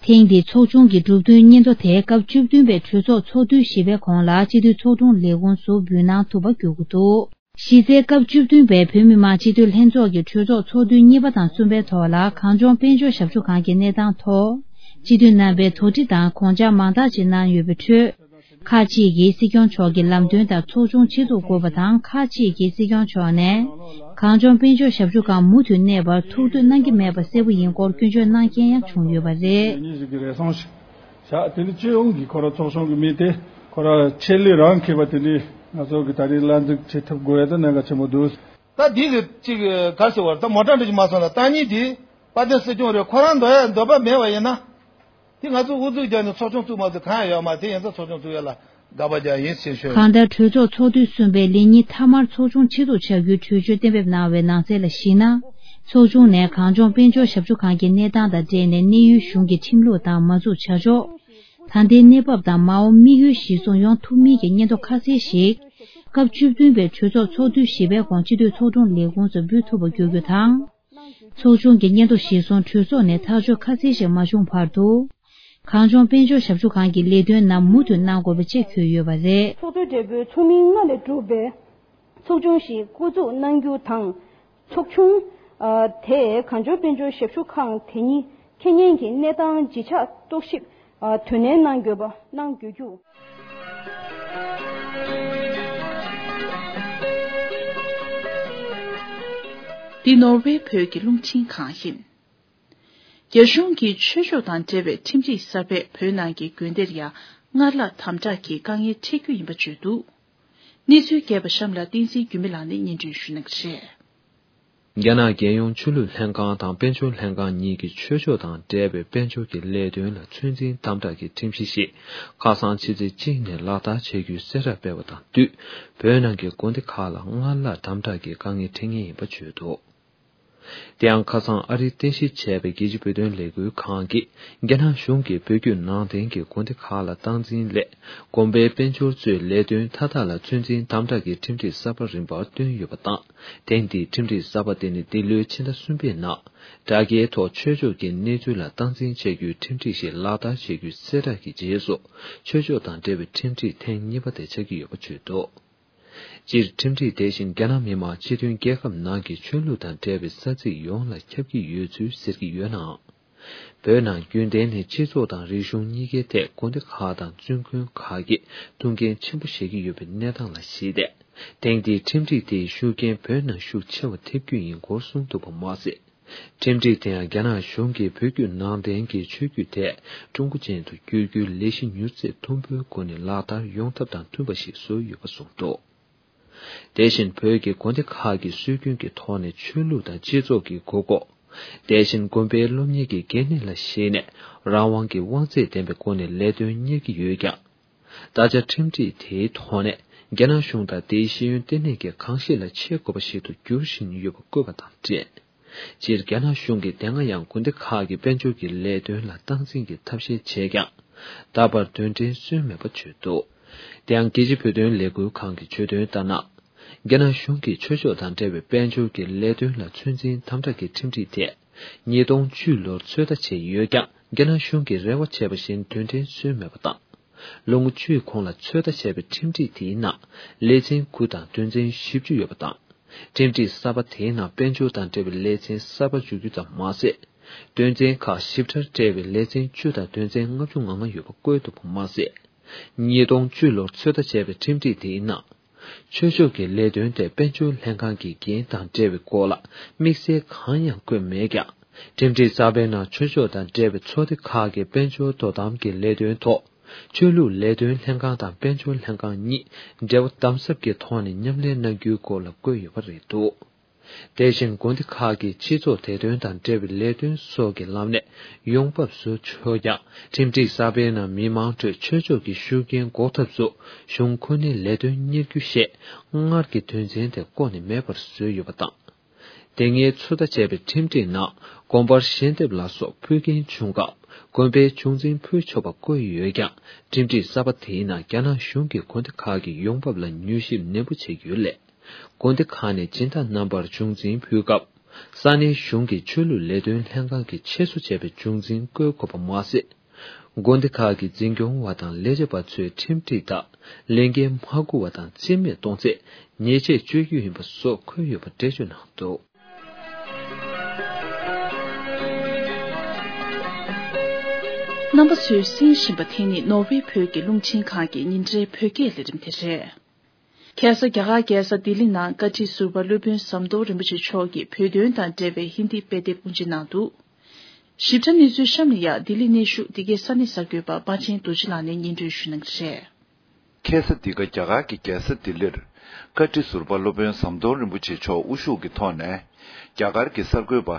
ཐེངས་འདིའི་ཚོགས་ཆུང་གི་གྲུབ་དོན་སྙན་ཐོ་དེ་སྐབས་བཅུ་བདུན་པའི་གྲོས་ཚོགས་ཚོགས་དུས་བཞི་པའི་གོང་ལ་སྤྱི་འཐུས་ཚོགས་དྲུང་ལས་ཁུངས་སུ་འབུལ་གནང་ཐུབ་པ་བརྒྱུད་དགོས་འདུག་གཞི་རྩའི་སྐབས་བཅུ་བདུན་པའི་བོད་མི་མང་སྤྱི་འཐུས་ལྷན་ཚོགས་ཀྱི་གྲོས་ཚོགས་ཚོགས་དུས་གཉིས་པ་དང་གསུམ་པའི་ཐོག་ལ་གངས་ལྗོངས་དཔལ་འབྱོར་ཞབས་ཞུ་ཁང་གི་གནས་སྟངས་ཐོག་སྤྱི་འཐུས་རྣམ་པས་དོགས་འདྲི་དང་དགོངས་འཆར་མང་དག་ཅིག་གནང་ཡོད་པའི་ཁྲོད། ཁག་ཅིག་གིས་སྲིད་སྐྱོང་མཆོག་གི་ལམ་སྟོན་ལྟར་ཚོགས་ཆུང་ཆེད་འཛུགས་དགོས་པ་དང་ཁག་ཅིག་གིས་སྲིད་སྐྱོང་མཆོག་ནས་གངས་ལྗོངས་དཔལ་འབྱོར་ཞབས་ཞུ་ཁང་མུ་མཐུད་གནས་པར་ཐུགས་འདོད་གནང་གི་མེད་པ་གསལ་པོ་ཡིན་སྐོར་སྐྱོན་བརྗོད་གནང་མཁན་ཡང་བྱུང་ཡོད་པ་རེད། ཉིད་ཞིག་གི་རེ་ཟུང་ཞིག་བཞག་དེ་ནི་སྤྱི་ཡོངས་ཀྱི་ཁོ་ར་ཚོགས་ཆུང་གི་མི་དེ་ཁོ་ར་ཆེད་ལས་རང་མཁས་པ་དེ་ནི་ང་ཚོ་གི་ད་རེས་ལ་འཛུགས་བྱེད་ཐུབ་དགོས་ཡ་ད་གནད་འགག་ཆེན་པོ་འདུག་ད་འདི་གི་ཅིག་ག་ཟེར་བར་ད་མོ་ཊ་འདྲ་ཅིག་མ་སོང་ན་ད་ཉིད་དེ་དཔལ་ལྡན་སྲིད་སྐྱོང་རེད། ཁོ་རང་འདོད་ཡ་འདོད་པ་མེད་པ་ཡིན་ན། དེ་ང་ཚོ་ཨུ་ཚུགས་རྒྱག་ནས་ཚོགས་ཆུང་བཙུགས་མ་བཙུགས་གང་ཡང་ཡོད་མ་རེད། དེ་ཡིན་ཙང་ཚོགས་ཆུང་བཙུགས་ཡ་ལ་དགག་པ་རྒྱག་ཡིན་ཞེས་ཤོད། གང་ལྟར་གྲོས་ཚོགས་ཚོགས་དུས་གསུམ་པའི་ལས་ཉིན་མཐའ་མར་ཚོགས་ཆུང་ཆེད་འཛུགས་བྱ་རྒྱུའི་གྲོས་ཆོད་གཏན་འབེབས་གནང་བའི་ནང་གསལ་ལ་གཞིགས་ན། ཚོགས་ཆུང་ནས་གངས་ལྗོངས་དཔལ་འབྱོར་ཞབས་ཞུ་ཁང་གི་གནས་སྟངས་དང་འབྲེལ་ནས་གནས་ཡུལ་གཞུང་གི་ཁྲིམས་ལུགས་དང་མ་འཛུགས་བྱ་ཕྱོགས། ད་ལྟའི་གནས་བབ་དང་མ་འོངས་དམིགས་ཡུལ་གཞིར་བཟུང་ཡོང་ཐུབ་མིན་གྱི་སྙན་ཐོ་ཁ་གསལ་ཞིག་སྐབས་བཅུ་བདུན་པའི་གྲོས་ཚོགས་ཚོགས་དུས་བཞི་པའི་གོང་སྤྱི་འཐུས་ཚོགས་དྲུང་ལས་ཁུངས་སུ་འབུལ་ཐུབ་པ་བརྒྱུད་རྒྱུ་དང་། ཚོགས་ཆུང་གི་སྙན་ཐོ་གཞིར་བཟུང་གྲོས་ཚོགས་ནས་ཐག་གཅོད་ཁ་གསལ་ཞིག་མ་བྱུང་བར་དུ། གངས་ལྗོངས་དཔལ་འབྱོར་ཞབས་ཞུ་ཁང་གི་ལས་དོན་རྣམས་མུ་མཐུད་གནང་དགོས་པ་བཅས་འཁོད་ཡོད་པ་རེད། ཚོགས་གཙོས་སྦྲེལ་པོའི་ཚོགས་མི་ལྔ་ལས་གྲུབ་པའི་ཚོགས་ཆུང་ཞིག་བསྐོ་འཛུགས་གནང་རྒྱུ་དང་། ཚོགས་ཆུང་དེས་གངས་ལྗོངས་དཔལ་འབྱོར་ཞབས་ཞུ་ཁང་དེ་ཉིད་ཁེ་ཉིན་གྱི་གནས་སྟངས་ཇི་ཆགས་རྟོག་ཞིབ་དོ་ནན་གནང་དགོས་པ་གནང་དགོས་རྒྱུ། འདི་ནོར་ཝེ་བོད་ཀྱི་རླུང་འཕྲིན་ཁང་ཡིན། རྒྱ་གཞུང་གིས་ཆོས་ཕྱོགས་དང་འབྲེལ་བའི་ཁྲིམས་སྒྲིག་གསར་པས་བོད་ནང་གི་དགོན་སྡེར་ཡང་སྔར་ལྷག་དམ་དྲག་གི་དཀའ་ངལ་འཕྲད་རྒྱུ་ཡིན་པ་བརྗོད་འདུག་གནས་ཚུལ་རྒྱས་པ་གཤམ་ལ་བསྟན་འཛིན་འགྱུར་མེད་ལགས་ནས་སྙན་སྒྲོན་ཞུ་གནང་གི་རེད། རྒྱ་ནག་རྒྱལ་ཡོངས་ཆོས་ལུགས་ལྷན་ཁང་དང་དཔལ་འབྱོར་ལྷན་ཁང་གཉིས་ཀྱིས་ཆོས་ཕྱོགས་དང་འབྲེལ་བའི་དཔལ་འབྱོར་གྱི་ལས་དོན་ལ་ཚོད་འཛིན་དམ་དྲག་གི་ཁྲིམས་གཞི་ཞིག་ཁ་སང་ཕྱི་ཚེས་གཅིག་ནས་ལག་བསྟར་བྱེད་རྒྱུའི་གསལ་བསྒྲགས་སྤེལ་བ་དང་བསྟུན། བོད་ནང་གི་དགོན་སྡེ་ཁག་ལ་སྔར་ལྷག་དམ་དྲག་གི་དཀའ་ངལ་འཕྲད་ངེས་ཡིན་པ་བརྗོད་འདུག་དེ་ཡང་ཁ་སང་ཨ་རིར་རྟེན་གཞི་བྱས་པའི་རྒྱལ་སྤྱིའི་བོད་དོན་ལས་འགུལ་ཁང་གིས་རྒྱ་ནག་གཞུང་གིས་བོད་བརྒྱུད་ནང་བསྟན་གྱི་དགོན་སྡེ་ཁག་ལ་སྟངས་འཛིན་སླད་དགོན་པའི་དཔལ་འབྱོར་གཙོས་ལས་དོན་མཐའ་དག་ལ་ཚོད་འཛིན་དམ་དྲག་གི་ཁྲིམས་སྒྲིག་གསར་པ་རིམ་པར་བཏོན་ཡོད་པ་དང་། ཐེངས་འདིའི་ཁྲིམས་སྒྲིག་གསར་པ་དེ་ནི་འདི་ལོའི་ཕྱི་ཟླ་གསུམ་པའི་ནང་དྲ་རྒྱའི་ཐོག་ཆོས་ཕྱོགས་ཀྱི་གནས་ཚུལ་ལ་སྟངས་འཛིན་བྱ་རྒྱུའི་ཁྲིམས་སྒྲིག་ཞིག་ལག་བསྟར་བྱེད་རྒྱུའི་གསལ་བསྒྲགས་ཀྱི་རྗེས་སུ་ཆོས་ཕྱོགས་དང་འབྲེལ་བའི་ཁྲིམས་སྒྲིག་ཐེངས་གཉིས་པ་དེ་ཆགས་ཀྱི་ཡོད་པ་བརྗོད་འདུག་སྤྱིར་ཁྲིམས་སྒྲིག་དེ་བཞིན་རྒྱ་ནག་མི་དམངས་སྤྱི་མཐུན་རྒྱལ་ཁབ་ནང་གི་ཆོས་ལུགས་དང་འབྲེལ་བའི་ས་ཚིགས་ཡོངས་ལ་ཁྱབ་ཀྱི་ཡོད་ཚུལ་ཟེར་གྱི་ཡོད་ནའང་། བོད་ནང་རྒྱུན་ལྡན་ནས་སྤྱི་ཚོགས་དང་རིག་གཞུང་གཉིས་ཀའི་ཐད་དགོན་སྡེ་ཁག་དང་བཙུན་དགོན་ཁག་གིས་ཐུགས་འགན་ཆེན་པོ་བཞེས་ཀྱི་ཡོད་པའི་གནས་སྟངས་ལ་གཞིགས་ཏེ། ཐེངས་འདིའི་ཁྲིམས་སྒྲིག་དེའི་ཤུགས་རྐྱེན་བོད་ནང་ཤུགས་ཆེ་བ་ཐེབས་རྒྱུ་ཡིན་སྐོར་གསུངས་འདུག་པ་མ་ཟད། ཁྲིམས་སྒྲིག་དེ་ཡང་རྒྱ་ནག་གཞུང་གིས་བོད་བརྒྱུད་ནང་བསྟན་གྱི་ཆོས་བརྒྱུད་དེ་ཀྲུང་གོ་ཅན་དུ་བསྒྱུར་རྒྱུའི་ལས་གཞི་མྱུར་ཚད་མཐོན་པོའི་སྒོ་ནས་ལག་བསྟར་ཡོང་ཐབས་དང་མཐུན་པ་ཞིག་བཟོས་ཡོད་པ་གསུངས་འདུག་དེ་བཞིན་བོད་ཀྱི་དགོན་སྡེ་ཁག་གི་སྲོལ་རྒྱུན་གྱི་ཐོག་ནས་ཆོས་ལུགས་དང་སྤྱི་ཚོགས་ཀྱི་དགོས་མཁོ། དེ་བཞིན་དགོན་པའི་སློབ་གཉེར་གྱི་འགན་ལེན་ལ་གཞིགས་ནས་རང་དབང་གི་དབང་ཚད་ལྡན་པའི་སྒོ་ནས་ལས་དོན་གཉེར་གྱི་ཡོད་ཀྱང་། ད་ཆ་ཁྲིམས་སྒྲིག་དེའི་ཐོག་ནས་རྒྱ་ནག་གཞུང་དང་དེའི་ཤེས་ཡོན་ལྟེ་གནས་ཀྱི་གང་ཤེས་ལ་ཆས་དགོས་པ་ཞིག་ཏུ་འགྱུར་བཞིན་ཡོད་པ་བཀོད་པ་དང་འབྲེལ། སྤྱིར་རྒྱ་ནག་གཞུང་གིས་དེ་སྔ་ཡང་དགོན་སྡེ་ཁག་གི་དཔལ་འབྱོར་གྱི་ལས་དོན་ལ་སྟངས་འཛིན་གྱི་ཐབས་ཤེས་བྱས་ཀྱང་། ད་བར་དོན་འབྲས་སོན་མེད་པ་བརྗོད་འདུག་དེ་ཡང་རྒྱལ་སྤྱིའི་བོད་དོན་ལས་འགུལ་ཁང་གིས་བརྗོད་དོན་ལྟར་ན། རྒྱ་ནག་གཞུང་གིས་ཆོས་ཕྱོགས་དང་འབྲེལ་བའི་དཔལ་འབྱོར་གྱི་ལས་དོན་ལ་ཚོད་འཛིན་དམ་དྲག་གི་ཁྲིམས་སྒྲིག་དེ། ཉིས་སྟོང་བཅུ་ལོར་ཚོད་ལྟ་བྱས་ཡོད་ཀྱང་། རྒྱ་ནག་གཞུང་གིས་རེ་བ་བྱས་པ་བཞིན་དོན་འབྲས་སོན་མེད་པ་དང་། ལོ་ངོ་བཅུའི་གོང་ལ་ཚོད་ལྟ་བྱས་པའི་ཁྲིམས་སྒྲིག་དེའི་ནང་ལེ་ཚན་དགུ་དང་དོན་ཚན་བཞི་བཅུ་ཡོད་པ་དང་། ཁྲིམས་སྒྲིག་གསར་པ་དེའི་ནང་དཔལ་འབྱོར་དང་འབྲེལ་བའི་ལེ་ཚན་གསར་པ་བཅུ་བཅུ་ཙམ་མ་ཟད། དོན་ཚན་ཁག་ཞིབ་ཕྲར་བཀྲལ་བའི་ལེ་ཚན་བཅུ་དང་དོན་ཚན་ལྔ་བཅུ་ང་ལྔ་ཡོད་པ་བཀོད་འདུག་པ་མ་ཟད། ཉིས་སྟོང་བཅུ་ལོར་ཚོད་ལྟ་བྱས་པའི་ཁྲིམས་སྒྲིག་དེའི་ནང་། ཆོས་ཕྱོགས་ཀྱི་ལས་དོན་དེ་དཔལ་འབྱོར་ལྷན་ཁང་གི་འགན་དང་འབྲེལ་བའི་སྐོར་ལ་དམིགས་བསལ་གང་ཡང་བཀོད་མེད་ཀྱང་། ཁྲིམས་སྒྲིག་གསར་པའི་ནང་ཆོས་ཕྱོགས་དང་འབྲེལ་བའི་ཚོགས་སྡེ་ཁག་གི་དཔལ་འབྱོར་དོ་དམ་གྱི་ལས་དོན་ཐོག་ཆོས་ལུགས་ལས་དོན་ལྷན་ཁང་དང་དཔལ་འབྱོར་ལྷན་ཁང་གཉིས་འབྲེལ་བ་དམ་ཟབ་ཀྱི་ཐོག་ནས་མཉམ་ལས་གནང་རྒྱུའི་སྐོར་ལ་བཀོད་ཡོད་པ་རེད་འདུག་དེ་བཞིན་དགོན་སྡེ་ཁག་གིས་སྤྱི་ཚོགས་བདེ་དོན་དང་འབྲེལ་བའི་ལས་དོན་སོགས་ཀྱི་ལམ་ནས་ཡོང་འབབ་བཟོ་ཆོག་ཀྱང་། ཁྲིམས་སྒྲིག་གསར་པའི་ནང་མི་མང་ཁྲོད་ཆོས་ཕྱོགས་ཀྱི་ཤུགས་རྐྱེན་འགོག་ཐབས་སུ་གཞུང་ཁོ་ནའི་ལས་དོན་གཉེར་རྒྱུ་ཞེས་སྔར་གྱི་དོན་ཚན་དེ་བཀོད་ནས་མེད་པར་བཟོས་ཡོད་པ་དང་། དེ་སྔའི་ཚོད་ལྟ་བྱས་པའི་ཁྲིམས་སྒྲིག་ནང་དགོན་པར་ཞལ་འདེབས་ལ་སོགས་ཕུལ་མཁན་བྱུང་སྐབས་དགོན་པའི་བྱུང་འཛིན་ཕུལ་ཆོག་པ་བཀོད་ཡོད་ཀྱང་། ཁྲིམས་སྒྲིག་གསར་པ་དེའི་ནང་རྒྱ་ནག་གཞུང་གིས་དགོན་སྡེ་ཁག་གི་ཡོང་འབབ་ལ་མྱུལ་ཞིབ་ནན་པོ་བྱེད་ཀྱི་ཡོད་ལས། དགོན་སྡེ་ཁག་ནས་སྦྱིན་བདག་རྣམ་པར་བྱུང་འཛིན་ཕུལ་སྐབས། ས་གནས་གཞུང་གི་ཆོས་ལུགས་ལས་དོན་ལྷན་ཁང་གིས་ཆེད་བཟོ་བྱས་པའི་བྱུང་འཛིན་བཀོད་དགོས་པ་མ་ཟད། དགོན་སྡེ་ཁག་གི་འཛིན་སྐྱོང་བ་དང་ལས་བྱེད་པ་ཚོས་ཁྲིམས་སྒྲིག་ལྟར་ལས་འགན་མ་འཁུར་བ་དང་རྩིས་མེད་གཏོང་ཚེ་ཉེས་ཆད་གཅོད་རྒྱུ་ཡིན་པ་སོགས་འཁོད་ཡོད་པ་འགྲེལ་བརྗོད་གནང་འདུག་རྣམ་པ་ཚོས་གསན་བཞིན་པ་དེ་ནི་ནོར་ཝེ་བོད་ཀྱི་རླུང་འཕྲིན་ཁང་གི་ཉིན་རེའི་བོད་སྐད་ལས་རིམ་དེ་རེད། ཁ་སང་རྒྱ་གར་རྒྱལ་ས་ལྡི་ལི་ནང་བཀའ་ཁྲི་ཟུར་པ་སློབ་དཔོན་ཟམ་གདོང་རིན་པོ་ཆེ་མཆོག་གིས་བོད་དོན་དང་འབྲེལ་བའི་ཧིན་དི་དཔེ་དེབ་དབུ་འབྱེད་གནང་འདུག་ཞིབ་ཕྲ་གནས་ཚུལ་གཤམ་ལ་ཡང་ལྡི་ལི་གནས་བཞུགས་འདི་གའི་ས་གནས་གསར་འགོད་པ་པ་ཆེན་རྡོ་རྗེ་ལགས་ནས་སྙན་སྒྲོན་ཞུ་གནང་གི་རེད། ཁ་སང་འདི་ག་རྒྱ་གར་གྱི་རྒྱལ་ས་ལྡི་ལིར་བཀའ་ཁྲི་ཟུར་པ་སློབ་དཔོན་ཟམ་གདོང་རིན་པོ་ཆེ་མཆོག་དབུ་བཞུགས་ཀྱི་ཐོག་ནས་རྒྱ་གར་གྱི་གསར་འགོད་པ་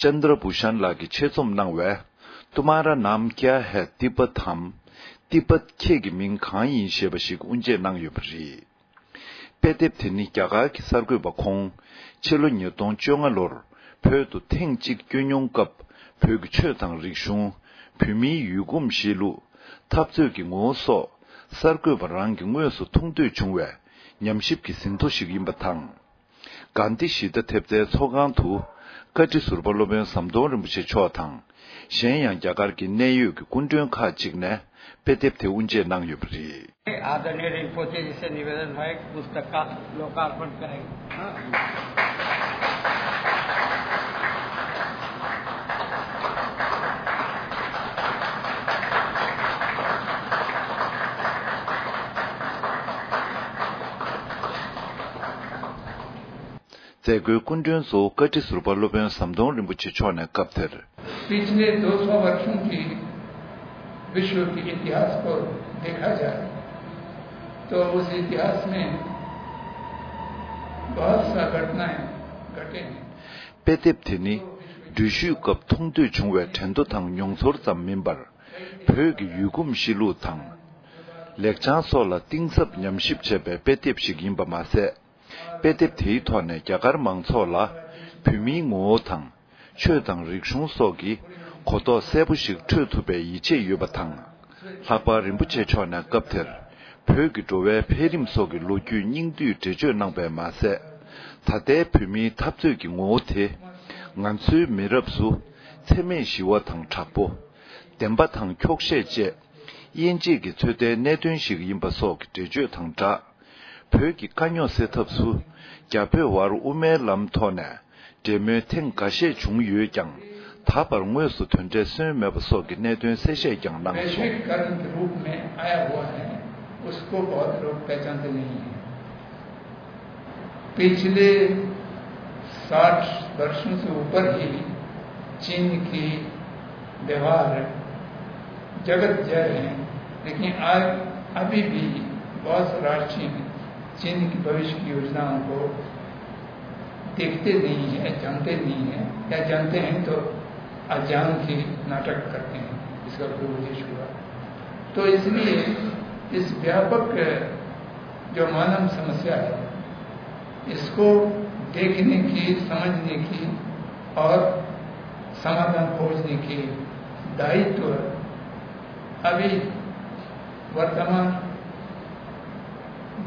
ཅན་དྲ་བྷུ་ཤན་ལགས་ཀྱིས་ཆེད་རྩོམ་གནང་བའི། तुम्हारा नाम क्या है तिब्बत हम, तिब्बत ཁྱེད་ཀྱི་མིང་གང་ཡིན་ཞེས་པ་ཞིག་དབུ་འབྱེད་གནང་ཡོད་པ་རེད། དཔེ་དེབ་དེ་ནི་རྒྱ་གར་གྱི་གསར་འགོད་པ་ཁོང་ཕྱི་ལོ་ཉིས་སྟོང་བཅོ་ལྔ་ལོར་བོད་དུ་ཐེངས་གཅིག་བསྐྱོད་མྱོང་སྐབས་བོད་ཀྱི་ཆོས་དང་རིག་གཞུང་། བོད་མིའི་ཡུལ་གོམས་གཤིས་ལུགས། འཐབ་རྩོད་ཀྱི་ངོ་བོ་སོགས་གསར་འགོད་པ་རང་གིས་དངོས་སུ་མཐོང་ཐོས་བྱུང་བའི་ཉམས་ཞིབ་ཀྱི་ཟིན་ཐོ་ཞིག་ཡིན་པ་དང་། གྷན་དྷི་ཞི་བདེ་ཐེབས་རྩའི་ཚོགས་ཁང་དུ་བཀའ་ཁྲི་ཟུར་པ་སློབ་དཔོན་ཟམ་གདོང་རིན་པོ་ཆེ་མཆོག་དང་། གཞན་ཡང་རྒྱ་གར་གྱི་གནད་ཡོད་ཀྱི་སྐུ་མགྲོན་ཁག་ཅིག་ནས་དཔེ་དེབ་དེ་དབུ་འབྱེད་གནང་ཡོད་པ་རེད། आदरणीय रिंपोचे जी से निवेदन है कि पुस्तक का लोकार्पण करें। མཛད་སྒོའི་སྐུ་མགྲོན་གཙོ་བོ་བཀའ་ཁྲི་ཟུར་པ་སློབ་དཔོན་ཟམ་གདོང་རིན་པོ་ཆེ་མཆོག་ནས་སྐབས་དེར། पिछले दो सौ वर्षों की विश्व के इतिहास को देखा जाए तो उस इतिहास में बहुत सा घटनाएं घटे हैं। དཔེ་དེབ་དེ་ནི་འགྲུལ་བཞུད་སྐབས་མཐོང་ཐོས་བྱུང་བའི་དྲན་ཐོ་དང་མྱོང་ཚོར་ཙམ་མིན་པར། བོད་ཀྱི་ཡུལ་གོམས་གཤིས་ལུགས་དང་། ལེགས་བྱང་སོགས་ལ་གཏིང་ཟབ་ཉམས་ཞིབ་བྱས་པའི་དཔེ་དེབ་ཞིག་ཡིན་པ་མ་ཟད། དཔེ་དེབ་དེའི་ཐོག་ནས་རྒྱ་གར་མང་ཚོགས་ལ་བོད་མིའི་ངོ་བོ་དང་། ཆོས་དང་རིག་གཞུང་སོགས་ཀྱི་གོ་རྟོགས་གསལ་པོ་ཞིག་འཕྲོད་ཐུབ་པའི་ཡིད་ཆེས་ཡོད་པ་དང་། ལྷག་པར་རིན་པོ་ཆེ་མཆོག་ནས་སྐབས་དེར་བོད་ཀྱི་འགྲོ་བའི་འཕེལ་རིམ་སོགས་ཀྱི་ལོ་རྒྱུས་སྙིང་བསྡུས་འགྲེལ་བརྗོད་གནང་པས་མ་ཟད། ད་ལྟའི་བོད་མིའི་འཐབ་རྩོད་ཀྱི་ངོ་བོ་དེ་ང་ཚོའི་མི་རབས་སུ་འཚེ་མེད་ཞི་བ་དང་དྲག་པོ། བདེན་པ་དང་འཁྱོག་བཤད་བཅས་དབྱེ་འབྱེད་ཀྱི་ཚོད་ལྟའི་གནད་དོན་ཞིག་ཡིན་པ་སོགས་ཀྱི་འགྲེལ་བརྗོད་དང་སྦྲགས། བོད་ཀྱི་དཀའ་རྙོག་སེལ་ཐབས་སུ་རྒྱ་བོད་དབར་དབུ་མའི་ལམ་ཐོག་ནས་འབྲེལ་མོལ་ཐེངས་འགའ་ཤས་བྱུང་ཡོད་ཀྱང་། ད་བར་དངོས་སུ་དོན་འབྲས་སོན་མེད་པ་སོགས་ཀྱི་གནད་དོན་གསལ་བཤད་ཀྱང་གནང་སོང་། वैश्विक कदम के रूप में आया हुआ है, उसको बहुत लोग पहचानते नहीं हैं। पिछले साठ वर्षों से ऊपर ही चीन की व्यवहार जगत जय हैं, लेकिन आज अभी भी बहुत राष्ट्रीय चीन की भविष्य की योजनाओं को देखते नहीं है, जानते नहीं है, या जानते हैं तो अज्ञान के नाटक करते हैं। इसका कोई उद्देश्य हुआ तो इसलिए इस व्यापक जो मानव समस्या है, इसको देखने की, समझने की और समाधान खोजने की दायित्व अभी वर्तमान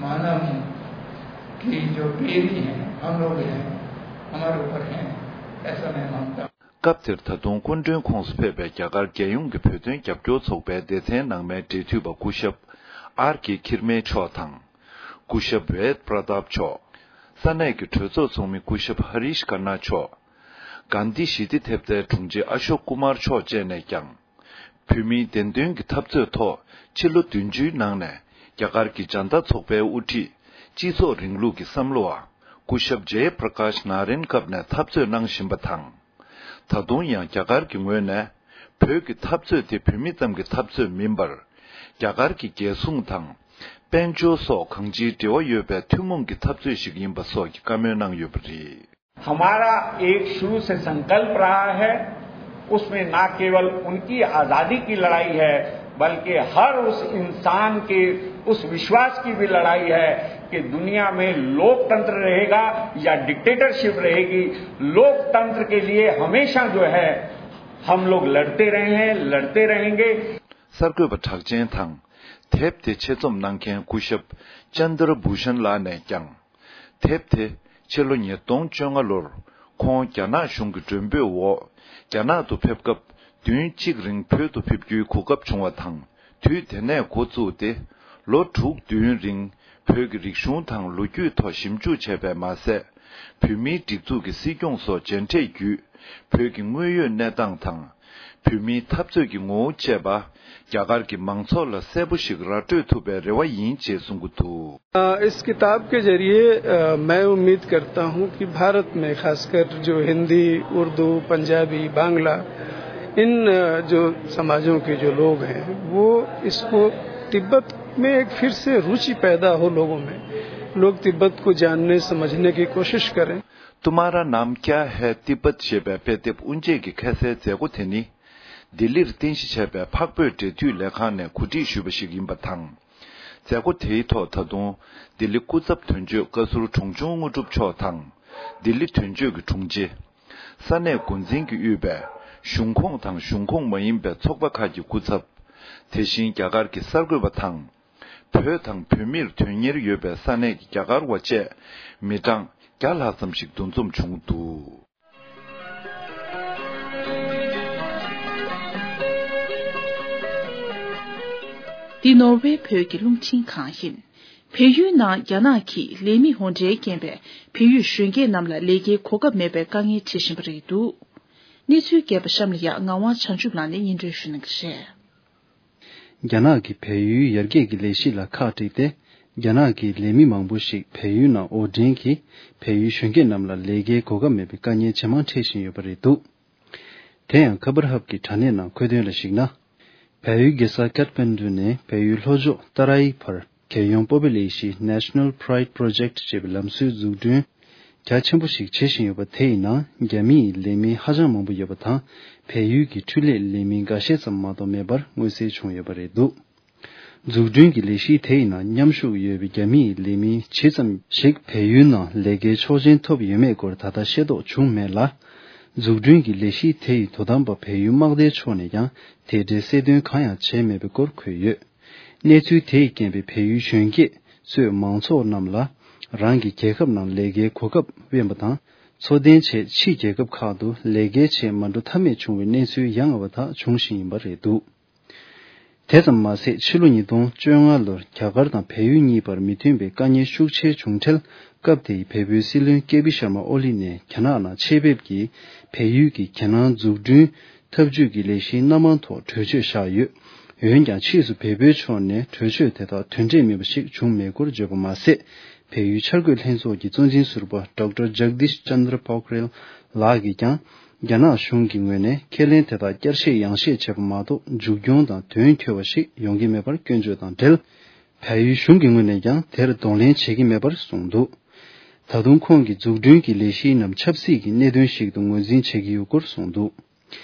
मानव की जो पीढ़ी है, हम लोग हैं, हमारे ऊपर हैं, ऐसा मैं मानता हूँ। སྐབས་དེར་ད་དུང་སྐུ་མགྲོན་ཁོངས་སུ་ཕེབས་པའི་རྒྱ་གར་རྒྱལ་ཡོངས་ཀྱི་བོད་དོན་རྒྱབ་སྐྱོར་ཚོགས་པའི་སྡེ་ཚན་ནང་མའི་འབྲེལ་མཐུད་པ་སྐུ་ཞབས་ཨར་ཀེ་ཁིར་མེ་མཆོག་དང་། སྐུ་ཞབས་ཝེད་པྲ་དཱབ་མཆོག་ས་གནས་ཀྱི་གྲོས་ཚོགས་ཚོགས་མི་སྐུ་ཞབས་ཧ་རིཤ་ཀ་ན་མཆོག་གྷན་དྷི་ཞི་བདེ་ཐེབས་རྩའི་དྲུང་ཆེ་ཨ་ཤོག་ཀུ་མར་མཆོག་བཅས་ནས་ཀྱང་། བོད་མིའི་བདེན་དོན་གྱི་འཐབ་རྩོད་ཐོག་ཕྱི་ལོ་བདུན་ཅུའི་ནང་ནས་རྒྱ་གར་གྱི་ཇན་ཏ་ཚོགས་པའི་དབུ་ཁྲིད་སྤྱི་ཚོགས་རིང་ལུགས་ཀྱི་བསམ་བློ་བ་སྐུ་ཞབས་ཇེ་པྲ་ཀཱཤ་ན་རན་སྐབས་ནས་འཐབ་རྩོད་གནང་བཞིན་པ་དང་། ད་དུང་ཡང་རྒྱ་གར་གྱི་ངོས་ནས་བོད་ཀྱི་འཐབ་རྩོད་དེ་བོད་མི་ཙམ་གྱི་འཐབ་རྩོད་མིན་པར། རྒྱ་གར་གྱི་རྒྱལ་སྲུང་དང་། དཔལ་འབྱོར་སོགས་གང་ཅིའི་འབྲེལ་བ་ཡོད་པའི་ཐུན་མོང་གི་འཐབ་རྩོད་ཞིག་ཡིན་པ་སོགས་ཀྱི་བཀའ་མོལ་གནང་ཡོད་པ་རེད། हमारा एक शुरू से संकल्प रहा है, उसमें ना केवल उनकी आज़ादी की लड़ाई है, बल्कि हर उस इंसान के उस विश्वास की भी लड़ाई है कि दुनिया में लोकतंत्र रहेगा या डिक्टेटरशिप रहेगी। लोकतंत्र के लिए हमेशा जो है, हम लोग लड़ते रहे हैं, लड़ते रहेंगे। གསར་འགོད་པ་གྲགས་ཅན་དང་། དེབ་དེ་ཆེད་རྩོམ་གནང་མཁན་སྐུ་ཞབས་ཅན་དྲ་བྷུ་ཤན་ལགས་ནས་ཀྱང་། དེབ་དེ་ཕྱི་ལོ་ཉིས་སྟོང་བཅོ་ལྔ་ལོར་ཁོང་རྒྱ་ནག་གཞུང་གི་མགྲོན་འབོད་འོག་རྒྱ་ནག་ཏུ་ཕེབས་སྐབས་བདུན་གཅིག་རིང་བོད་དུ་ཕེབས་རྒྱུའི་གོ་སྐབས་བྱུང་བ་དང་། དུས་དེ་ནས་འགོ་བཙུགས་ཏེ་ལོ་དྲུག་བདུན་རིང་བོད་ཀྱི་རིག་གཞུང་དང་ལོ་རྒྱུས་ཐོག་ཞིབ་འཇུག་བྱས་པས་མ་ཟད། བོད་མིའི་སྒྲིག་འཛུགས་ཀྱི་སྲིད་སྐྱོང་སོགས་མཇལ་འཕྲད་བརྒྱུད། བོད་ཀྱི་དངོས་ཡོད་གནས་སྟངས་དང་། བོད་མིའི་འཐབ་རྩོད་ཀྱི་ངོ་བོ་བཅས་པ། རྒྱ་གར་གྱི་མང་ཚོགས་ལ་གསལ་པོ་ཞིག་ར་སྤྲོད་ཐུབ་པའི་རེ་བ་ཡིན་ཅེས་གསུང་གི་འདུག। अ, इस किताब के जरिए, अ, मैं उम्मीद करता हूं कि भारत में खासकर जो हिंदी, उर्दू, पंजाबी, बांग्ला, इन, अ, जो समाजों के जो लोग हैं, वो इसको, तिब्बत में एक फिर से रुचि पैदा हो लोगों में, लोग तिब्बत को जानने, समझने की कोशिश करें। तुम्हारा नाम क्या है तिब्बत ཞེས་པའི་དཔེ་དེབ་དབུ་འབྱེད་ཀྱི་ཁ་གསལ་མཛད་སྒོ་དེ་ནི། ལྡི་ལིར་རྟེན་གཞི་བྱས་པའི་འཕགས་བོད་འབྲེལ་མཐུད་ལས་ཁང་ནས་གོ་སྒྲིག་ཞུས་པ་ཞིག་ཡིན་པ་དང་། མཛད་སྒོ་དེའི་ཐོག་ད་དུང་ལྡི་ལི་སྐུ་ཚབ་དོན་གཅོད་བཀའ་ཟུར་དྲུང་ཆུང་དངོས་གྲུབ་མཆོག་དང་། ལྡི་ལི་དོན་གཅོད་ཀྱི་དྲུང་ཆེ། ས་གནས་འགོ་འཛིན་གྱིས་དབུས་པའི་གཞུང་ཁོངས་དང་གཞུང་ཁོངས་མ་ཡིན་པའི་ཚོགས་པ་ཁག་གི་སྐུ་ཚབ། དེ་བཞིན་རྒྱ་གར་གྱི་གསར་འགོད་པ་དང་། བོད་དང་བོད་མིར་དོན་གཉེར་ཡོད་པའི་ས་གནས་ཀྱི་རྒྱ་གར་བ་བཅས་མི་གྲངས་བརྒྱ་ལྷག་ཙམ་ཞིག་འདུ་འཛོམས་བྱུང་འདུག། འདི་ནོར་ཝེ་བོད་ཀྱི་རླུང་འཕྲིན་ཁང་ཡིན། བལ་ཡུལ་ནང་རྒྱ་ནག་གིས་ལས་མི་འོར་འདྲེན་རྐྱེན་པས་བལ་ཡུལ་གཞོན་སྐྱེས་རྣམས་ལ་ལས་ཀའི་གོ་སྐབས་མེད་པའི་དཀའ་ངལ་འཕྲད་བཞིན་པ་རེད་འདུག། གནས་ཚུལ་རྒྱས་པ་གཤམ་ལ་ཡང་ངག་དབང་བྱང་ཆུབ་ལགས་ནས་སྙན་སྒྲོན་ཞུ་གནང་གི་རེད། རྒྱ་ནག་གིས་བལ་ཡུལ་ཡར་རྒྱས་ཀྱི་ལས་གཞི་ལ་ཁག་དཀྲིས་ཏེ། རྒྱ་ནག་གི་ལས་མི་མང་པོ་ཞིག་བལ་ཡུལ་ནང་འོར་འདྲེན་གྱིས་བལ་ཡུལ་གཞོན་སྐྱེས་རྣམས་ལ་ལས་ཀའི་གོ་སྐབས་མེད་པའི་དཀའ་ངལ་ཇེ་མང་འཕྲད་བཞིན་ཡོད་པ་རེད་འདུག། དེ་ཡང་ཁ་པར་ཧབ་ཀྱི་དྲ་གནས་ནང་འཁོད་དོན་ལ་གཞིགས་ན། བལ་ཡུལ་རྒྱལ་ས་ཀཏ་མན་ཌུ་ནས་བལ་ཡུལ་ལྷོ་ཕྱོགས་ཏཱ་ར་ཡི་བར། རྒྱལ་ཡོངས་སྤོབས་པའི་ལས་གཞི་National Pride Project ཞེས་པའི་ལམ་སྲོལ་འཛུགས་སྐྲུན་རྒྱ་ཆེན་པོ་ཞིག་བྱེད་བཞིན་ཡོད་པ་དེ་ཡི་ནང་རྒྱ་མི་ཡི་ལས་མི་ཧ་ཅང་མང་པོ་ཡོད་པ་དང་། བལ་ཡུལ་གྱི་འཕྲུལ་ལས་ལས་མི་འགའ་ཤས་ཙམ་མ་གཏོགས་མེད་པར་མངོན་གསལ་བྱུང་ཡོད་པ་རེད་འདུག། འཛུགས་སྐྲུན་གྱི་ལས་གཞི་དེ་ཡི་ནང་མཉམ་ཞུགས་ཡོད་པའི་རྒྱ་མི་ཡི་ལས་མི་ཇི་ཙམ་ཞིག་བལ་ཡུལ་ནང་ལས་ཀའི་ཆོག་མཆན་ཐོབ་ཡོད་མེད་སྐོར་ད་ལྟ་ཤེས་རྟོགས་བྱུང་མེད་ལ། འཛུགས་སྐྲུན་གྱི་ལས་གཞི་དེ་ཡི་དོ་དམ་པ་བལ་ཡུལ་དམག་སྡེའི་ཕྱོགས་ནས་ཀྱང་དེ་འབྲེལ་གསལ་སྟོན་གང་ཡང་བྱས་མེད་པའི་སྐོར་འཁོད་ཡོད། གནས་ཚུལ་དེས་རྐྱེན་པས་བལ་ཡུལ་གཞོན་སྐྱེས་གཙོས་མང་ཚོགས་རྣམས་ལ་རང་གི་རྒྱལ་ཁབ་ནང་ལས་ཀའི་གོ་སྐབས་དབེན་པ་དང་། འཚོ་རྟེན་ཆེད་ཕྱིའི་རྒྱལ་ཁབ་ཁག་ཏུ་ལས་ཀའི་ཆེད་མ་འགྲོ་ཐབས་མེད་བྱུང་བའི་གནས་ཚུལ་ཡང་ང་བ་དག་འབྱུང་བཞིན་ཡིན་པ་རེད་འདུག། དེ་ཙམ་མ་ཟད་ཕྱི་ལོ་ཉིས་སྟོང་བཅོ་ལྔ་ལོར་རྒྱ་གར་དང་བལ་ཡུལ་གཉིས་བར་མི་མཐུན་པའི་དཀའ་ངལ་ཤུགས་ཆེ་བྱུང་འཕྲལ་སྐབས་དེའི་བལ་པོའི་སྲིད་བློན་ཀེ་པི་ཤར་མ་ཨོ་ལི་ནས་རྒྱ་ནག་ནང་ཆེད་ཕེབས་ཀྱིས་བལ་ཡུལ་གྱི་རྒྱལ་ནང་འཛུགས་སྐྲུན་འཐབ་ཇུས་ཀྱི་ལས་གཞིའི་སྣ་མང་ཐོག་གྲོས་ཆོད་བཞག་ཡོད། འོན་ཀྱང་ཕྱིས་སུ་བལ་པོའི་ཕྱོགས་ནས་གྲོས་ཆོད་དེ་དག་དོན་འབྲས་མེད་པ་ཞིག་བྱུང་མེད་སྐོར་བརྗོད་པ་མ་ཟད། བལ་ཡུལ་འཆར་འགོད་ལྷན་ཚོགས་ཀྱི་གཙོ་འཛིན་ཟུར་པ་Doctor Jagdish Chandra Pokhrel ལགས་ཀྱིས་ཀྱང་ རྒྱ་ནག་གཞུང་གི་ངོས་ནས་ཁས་ལེན་དེ་དག་བསྐྱར་བཤད་ཡང་བཤད་བྱས་པ་མ་གཏོགས་མཇུག་སྐྱོང་དང་དོན་འཁྱོལ་བ་ཞིག་ཡོང་གི་མེད་པར་སྐྱོན་བརྗོད་དང་འབྲེལ། བལ་ཡུལ་གཞུང་གི་ངོས་ནས་ཀྱང་དེར་གདོང་ལེན་བྱེད་ཀྱི་མེད་པར་གསུངས་འདུག་ད་དུང་ཁོང་གིས་འཛུགས་སྐྲུན་གྱི་ལས་གཞི་རྣམས་ཆབ་སྲིད་ཀྱི་གནད་དོན་ཞིག་ཏུ་ངོས་འཛིན་བྱེད་ཀྱི་ཡོད་སྐོར་གསུངས་འདུག་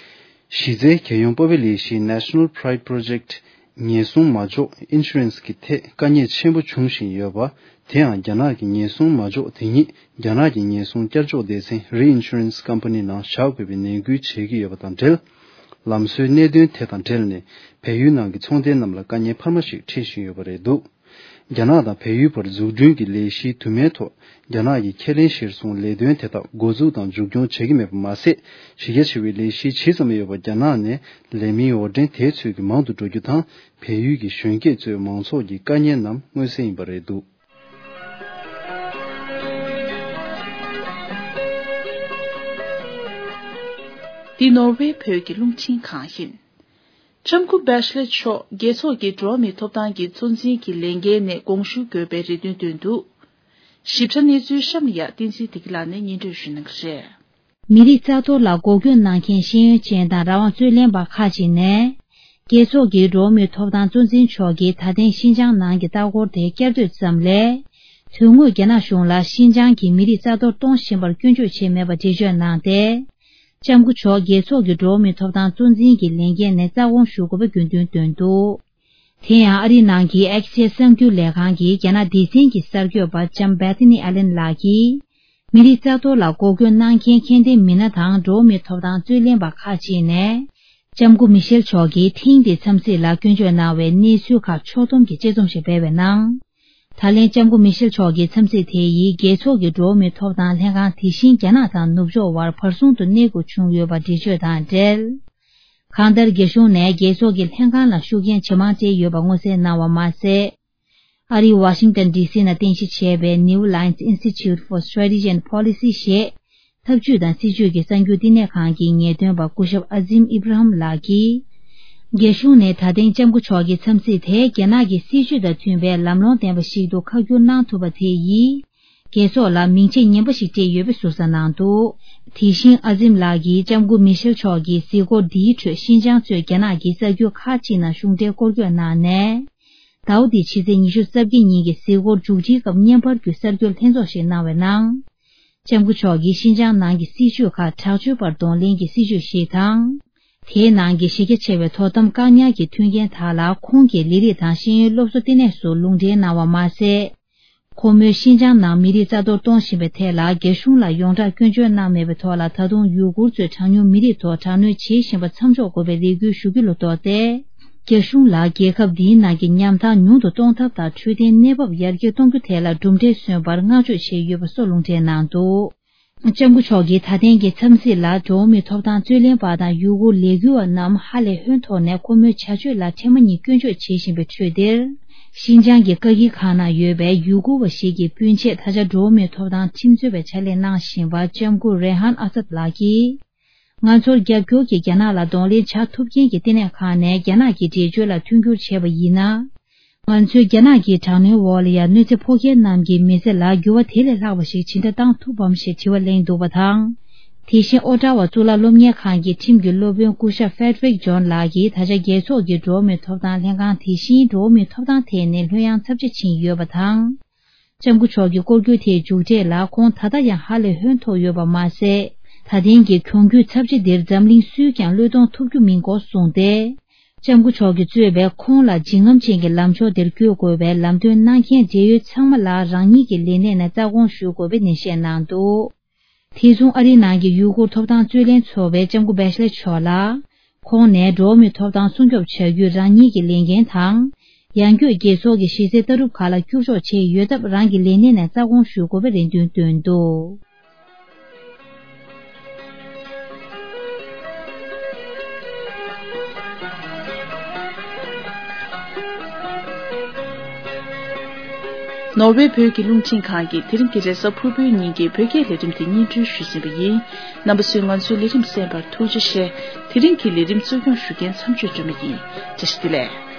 གཞི་རྩའི་རྒྱལ་ཡོངས་སྤོབས་པའི་ལས་གཞི་National Pride Project ཉེན་སྲུང་མ་འཇོག་Insurance གི་ཐད་དཀའ་ངལ་ཆེན་པོ་འབྱུང་བཞིན་ཡོད་པ། དེའང་རྒྱ་ནག་གི་ཉེན་སྲུང་མ་འཇོག་དེ་ཉིད་རྒྱ་ནག་གི་ཉེན་སྲུང་བསྐྱར་འཇོག་སྡེ་ཚན་Reinsurance Company ནང་བཞག་དགོས་པའི་ནན་སྐུལ་བྱེད་ཀྱི་ཡོད་པ་དང་འབྲེལ། ལམ་སྲོལ་གནད་དོན་དེ་དང་འབྲེལ་ནས་བལ་ཡུལ་ནང་གི་ཚོང་རྟེན་རྣམས་ལ་དཀའ་ངལ་འཕར་མ་ཞིག་འཕྲད་བཞིན་ཡོད་པ་རེད་འདུག་རྒྱ་ནག་དང་བལ་ཡུལ་བར་འཛུགས་སྐྲུན་གྱི་ལས་གཞིའི་དུ་མའི་ཐོག་རྒྱ་ནག་གིས་ཁས་ལེན་གཞིར་བཟུང་ལས་དོན་དེ་དག་འགོ་འཛུགས་དང་མཇུག་སྐྱོང་བྱེད་ཀྱི་མེད་པ་མ་ཟད། གཞི་རྒྱ་ཆེ་བའི་ལས་གཞི་ཇི་ཙམ་ཡོད་པ་རྒྱ་ནག་ནས་ལས་མིའི་འོར་འདྲེན་དེ་ཚོས་ཀྱི་མང་དུ་འགྲོ་རྒྱུ་དང་། བལ་ཡུལ་གྱི་གཞོན་སྐྱེས་ཚོའི་མང་ཚོགས་ཀྱི་དཀའ་ངལ་རྣམས་མངོན་གསལ་ཡིན་པ་རེད་འདུག་འདི་ནོར་ཝེ་བོད་ཀྱི་རླུང་འཕྲིན་ཁང་ཡིན། ལྕམ་སྐུ་བྷེ་ཤ་ལེ་མཆོག་རྒྱལ་ཚོགས་ཀྱི་འགྲོ་བ་མིའི་ཐོབ་ཐང་གི་གཙོ་འཛིན་གྱི་ལས་འགན་ནས་དགོངས་ཞུ་དགོས་པའི་རེ་འདུན་བཏོན་འདུག་ཞིབ་ཕྲ་གནས་ཚུལ་གཤམ་ལ་ཡ་བསྟན་འཛིན་བདེ་སྐྱིད་ལགས་ནས་སྙན་སྒྲོན་ཞུ་གནང་གི་རེད། མི་རིགས་རྩ་གཏོར་ལ་འགོག་རྐྱེན་གནང་མཁན་ཤེས་ཡོན་ཅན་དང་རང་དབང་རྩོད་ལེན་པ་ཁག་ཅིག་ནས། རྒྱལ་ཚོགས་ཀྱི་འགྲོ་བ་མིའི་ཐོབ་ཐང་གཙོ་འཛིན་མཆོག་གིས་ད་ཐེངས་ཤིན་ཅང་ནང་གི་ལྟ་སྐོར་དེ་བསྐྱར་ཟློས་ཙམ་ལས། དོན་དངོས་རྒྱ་ནག་གཞུང་ལ་ཤིན་ཅང་གི་མི་རིགས་རྩ་གཏོར་གཏོང་བཞིན་པར་སྐྱོན་བརྗོད་བྱས་མེད་པ་འགྲེལ་བརྗོད་གནང་སྟེ། ལྕམ་སྐུ་མཆོག་རྒྱལ་ཚོགས་ཀྱི་འགྲོ་བ་མིའི་ཐོབ་ཐང་གཙོ་འཛིན་གྱི་ལས་འགན་ནས་རྩ་དགོངས་ཞུ་དགོས་པའི་དགོས་འདུན་བཏོན་འདུག་དེ་ཡང་ཨ་རིའི་ནང་གི་ཨེག་སི་གསར་འགྱུར་ལས་ཁང་གིས་རྒྱ་ནག་སྡེ་ཚན་གྱི་གསར་འགོད་པ་ལྕམ་Bethany Allen ལགས་ཀྱིས། མི་རིགས་རྩ་གཏོར་ལ་འགོག་རྐྱེན་གནང་མཁན་མཁྱེན་ལྡན་མི་སྣ་དང་འགྲོ་བ་མིའི་ཐོབ་ཐང་རྩོད་ལེན་པ་ཁག་ཅིག་ནས། ལྕམ་སྐུ་མི་ཤེལ་མཆོག་གིས་ཐེངས་འདིའི་འཚམས་གཟིགས་ལ་སྐྱོན་བརྗོད་གནང་བའི་གནས་ཚུལ་ཁག་ཕྱོགས་བསྡོམས་ཀྱིས་དཔྱད་རྩོམ་ཞིག་སྤེལ་བའི་ནང་། ད་ལན་ལྕམ་སྐུ་མི་ཤེལ་མཆོག་གི་འཚམས་གཟིགས་དེ་ཡིས་རྒྱལ་ཚོགས་ཀྱི་འགྲོ་བ་མིའི་ཐོབ་ཐང་ལྷན་ཁང་དེ་བཞིན་རྒྱ་ནག་དང་ནུབ་ཕྱོགས་དབར་བར་གསུམ་དུ་གནས་དགོས་བྱུང་ཡོད་པ་འགྲེལ་བརྗོད་དང་འབྲེལ། གང་ལྟར་རྒྱ་གཞུང་ནས་རྒྱལ་ཚོགས་ཀྱི་ལྷན་ཁང་ལ་ཤུགས་རྐྱེན་ཇེ་མང་སྤྲད་ཡོད་པ་མངོན་གསལ་གནང་བ་མ་ཟད། ཨ་རིའི་ཝ་ཤིང་ཏན་ཌི་སི་ནང་རྟེན་གཞི་བྱས་པའི་New Alliance Institute for Strategy and Policy ཞེས་འཐབ་ཇུས་དང་སྲིད་ཇུས་ཀྱི་གསར་འགྱུར་བསྟི་གནས་ཁང་གི་ངེས་སྟོན་པ་སྐུ་ཞབས་ཨ་ཛིམ་ཨི་བྷ་ར་ཧམ་ལགས་ཀྱིས། རྒྱ་གཞུང་ནས་ད་ཐེངས་ལྕམ་སྐུ་མཆོག་གི་འཚམས་གཟིགས་དེ་རྒྱ་ནག་གི་སྲིད་ཇུས་དང་མཐུན་པའི་ལམ་ལྷོང་ལྡན་པ་ཞིག་ཏུ་ཁ་བསྒྱུར་གནང་ཐུབ་པ་དེ་ཡིས། རྒྱལ་ཚོགས་ལ་མིང་ཆད་ངན་པ་ཞིག་སྤྲད་ཡོད་པའི་ཟུར་ཟ་གནང་འདུག་དེ་བཞིན་ཨ་ཛིམ་ལགས་ཀྱིས་ལྕམ་སྐུ་མི་ཤེལ་མཆོག་གི་གཟིགས་སྐོར་འདིའི་ཁྲོད་ཤིན་ཅང་གཙོས་རྒྱ་ནག་གི་གསར་འགྱུར་ཁག་ཅིག་ནང་གཞུང་འབྲེལ་སྐོར་སྐྱོད་གནང་ནས། ཟླ་བ་འདིའི་ཕྱི་ཚེས་ཉི་ཤུ་རྩ་བརྒྱད་ཉིན་གྱི་གཟིགས་སྐོར་མཇུག་སྒྲིལ་སྐབས་བརྙན་པར་བརྒྱུད་གསར་འགྱུར་ལྷན་ཚོགས་ཤིག་གནང་བའི་ནང་། ལྕམ་སྐུ་མཆོག་གིས་ཤིན་ཅང་ནང་གི་སྲིད་བྱུས་ཁག་དྲག་སྤྱོད་པར་གདོང་ལེན་གྱི་སྲིད་བྱུས་ཤིག་དང་། དེའི་ནང་གི་གཞི་རྒྱ་ཆེ་བའི་དོ་དམ་བཀག་ཉར་གྱི་མཐུན་རྐྱེན་དག་ལ་ཁོང་གི་ལས་རིགས་དང་ཤེས་ཡོན་སློབ་གསོ་ལྟེ་གནས་སུ་ལུང་འདྲེན་གནང་བ་མ་ཟད། ཁོ་མོས་ཤིན་ཅང་ནང་མི་རིགས་རྩ་གཏོར་གཏོང་བཞིན་པའི་ཐད་ལ་རྒྱ་གཞུང་ལ་ཡོངས་གྲགས་སྐྱོན་བརྗོད་གནང་མེད་པའི་ཐོག་ལ། ད་དུང་ཡུ་གུར་ཚོས་གྲངས་ཉུང་མི་རིགས་ཐོག་དྲག་གནོན་བྱེད་བཞིན་པ་མཚམས་འཇོག་དགོས་པའི་རེ་སྐུལ་ཞུ་རྒྱུ་ལ་གཏོགས་ཏེ། རྒྱ་གཞུང་ལ་རྒྱལ་ཁབ་འདིའི་ནང་གི་ཉམ་ཐག་ཉུང་དུ་གཏོང་ཐབས་དང་འཕྲོད་བསྟེན་གནས་བབ་ཡར་རྒྱས་གཏོང་རྒྱུ་ཐད་ལ་གྲུབ་འབྲས་སོན་པར་བསྔགས་བརྗོད་བྱས་ཡོད་པ་སོགས་ལུང་འདྲེན་གནང་འདུག་ལྕམ་སྐུ་མཆོག་གིས་ད་ཐེངས་ཀྱི་འཚམས་གཟིགས་ལ་འགྲོ་བ་མིའི་ཐོབ་ཐང་རྩོད་ལེན་པ་དང་ཡུ་གུར་ལས་འགུལ་བ་རྣམས་ཧ་ལས་ཧོན་ཐོག་ནས་ཁོ་མོའི་བྱ་སྤྱོད་ལ་ཐེངས་མ་གཉིས་སྐྱོན་བརྗོད་བྱེད་བཞིན་པའི་ཁྲོད་འདིར། ཤིན་ཅང་གི་ཀ་ཁིལ་ཁང་ནང་ཡོད་པའི་ཡུ་གུར་བ་ཞིག་གི་སྤུན་མཆེད་ད་ཆ་འགྲོ་བ་མིའི་ཐོབ་ཐང་ཁྲིམས་རྩོད་པའི་ཕྱག་ལས་གནང་བཞིན་པ་ལྕམ་སྐུ་རེ་ཧན་ཨ་སད་ལགས་ཀྱིས། ང་ཚོར་རྒྱབ་སྐྱོར་གྱིས་རྒྱ་ནག་ལ་གདོང་ལེན་བྱ་ཐུབ་མཁན་གྱི་ལྟེ་གནས་ཁག་ནས་རྒྱ་ནག་གི་འགྲེལ་བརྗོད་ལ་མཐུན་འགྱུར་བྱས་པ་ཡིན་ན། ང་ཚོས་རྒྱ་ནག་གི་དྲག་གནོན་འོག་ལ་ཡང་གནོད་འཚེ་ཕོག་མཁན་རྣམས་ཀྱི་མི་ཚེ་ལ་འགྱུར་བ་དེ་ལས་ལྷག་པ་ཞིག་ཇི་འདྲ་བཏང་ཐུབ་བམ་ཞེས་དྲི་བ་གླེང་འདུག་པ་དང་། དེ་བཞིན་ཨོ་ཊ་ཝ་གཙུག་ལག་སློབ་གཉེར་ཁང་གི་ཁྲིམས་ཀྱི་སློབ་དཔོན་སྐུ་ཞབས་ཧྥེ་ཌི་རིག་ཇོན་ལགས་ཀྱིས་ད་ཆ་རྒྱལ་ཚོགས་ཀྱི་འགྲོ་བ་མིའི་ཐོབ་ཐང་ལྷན་ཁང་དེ་བཞིན་འགྲོ་བ་མིའི་ཐོབ་ཐང་ཐད་ནས་ལྷོད་ཡངས་ཚབས་ཆེ་ཕྱིན་ཡོད་པ་དང་། ལྕམ་སྐུ་མཆོག་གི་སྐོར་སྐྱོད་དེའི་མཇུག་འབྲས་ལ་ཁོང་ད་ལྟ་ཡང་ཧ་ལས་ཧོན་ཐོག་ཡོད་པ་མ་ཟད། ད་ཐེངས་ཀྱི་གྱོང་གུད་ཚབས་ཆེ་འདིར་འཛམ་གླིང་སུས་ཀྱང་བློས་གཏོང་ཐུབ་རྒྱུ་མིན་སྐོར་གསུངས་ཏེ། ལྕམ་སྐུ་མཆོག་གིས་གཙོས་པའི་ཁོང་ལ་འཇིགས་རྔམ་ཅན་གྱི་ལམ་ཕྱོགས་འདིར་བསྐྱོད་དགོས་པའི་ལམ་སྟོན་གནང་མཁན་འབྲེལ་ཡོད་ཚང་མ་ལ་རང་ཉིད་ཀྱི་ལས་གནས་ནས་རྩ་དགོངས་ཞུ་དགོས་པའི་ནན་བཤད་གནང་འདུག་དེ་མཚུངས་ཨ་རིའི་ནང་གི་ཡུ་གུར་ཐོབ་ཐང་རྩོད་ལེན་ཚོགས་པས་ལྕམ་སྐུ་བེ་ཤ་ལེ་མཆོག་ལ། ཁོང་ནས་འགྲོ་བ་མིའི་ཐོབ་ཐང་སྲུང་སྐྱོབ་བྱ་རྒྱུའི་རང་ཉིད་ཀྱི་ལས་འགན་དང་། ཡང་སྒོས་རྒྱལ་ཚོགས་ཀྱི་གཞི་རྩའི་ལྟ་གྲུབ་ཁག་ལ་བསྒྱུར་བཅོས་བྱས་ཡོད་སྟབས། རང་གི་ལས་གནས་ནས་རྩ་དགོངས་ཞུ་དགོས་པའི་རེ་འདུན་བཏོན་འདུག་ནོར་ཝེ་བོད་ཀྱི་རླུང་འཕྲིན་ཁང་གིས་དེ་རིང་གི་རེས་གཟའ་ཕུར་བུའི་ཉིན་གྱི་བོད་སྐད་ལས་རིམ་དེ་སྙན་སྒྲོན་ཞུས་ཟིན་པ་ཡིན། རྣམ་པ་ཚོས་ང་ཚོའི་ལས་རིམ་གསན་པར་ཐུགས་རྗེ་ཆེ། དེ་རིང་གི་ལས་རིམ་གཙོ་སྐྱོང་ཞུ་མཁན་མཚམས་གཅོད་སྒྲོལ་མ་ཡིན། བཀྲ་ཤིས་བདེ་ལེགས།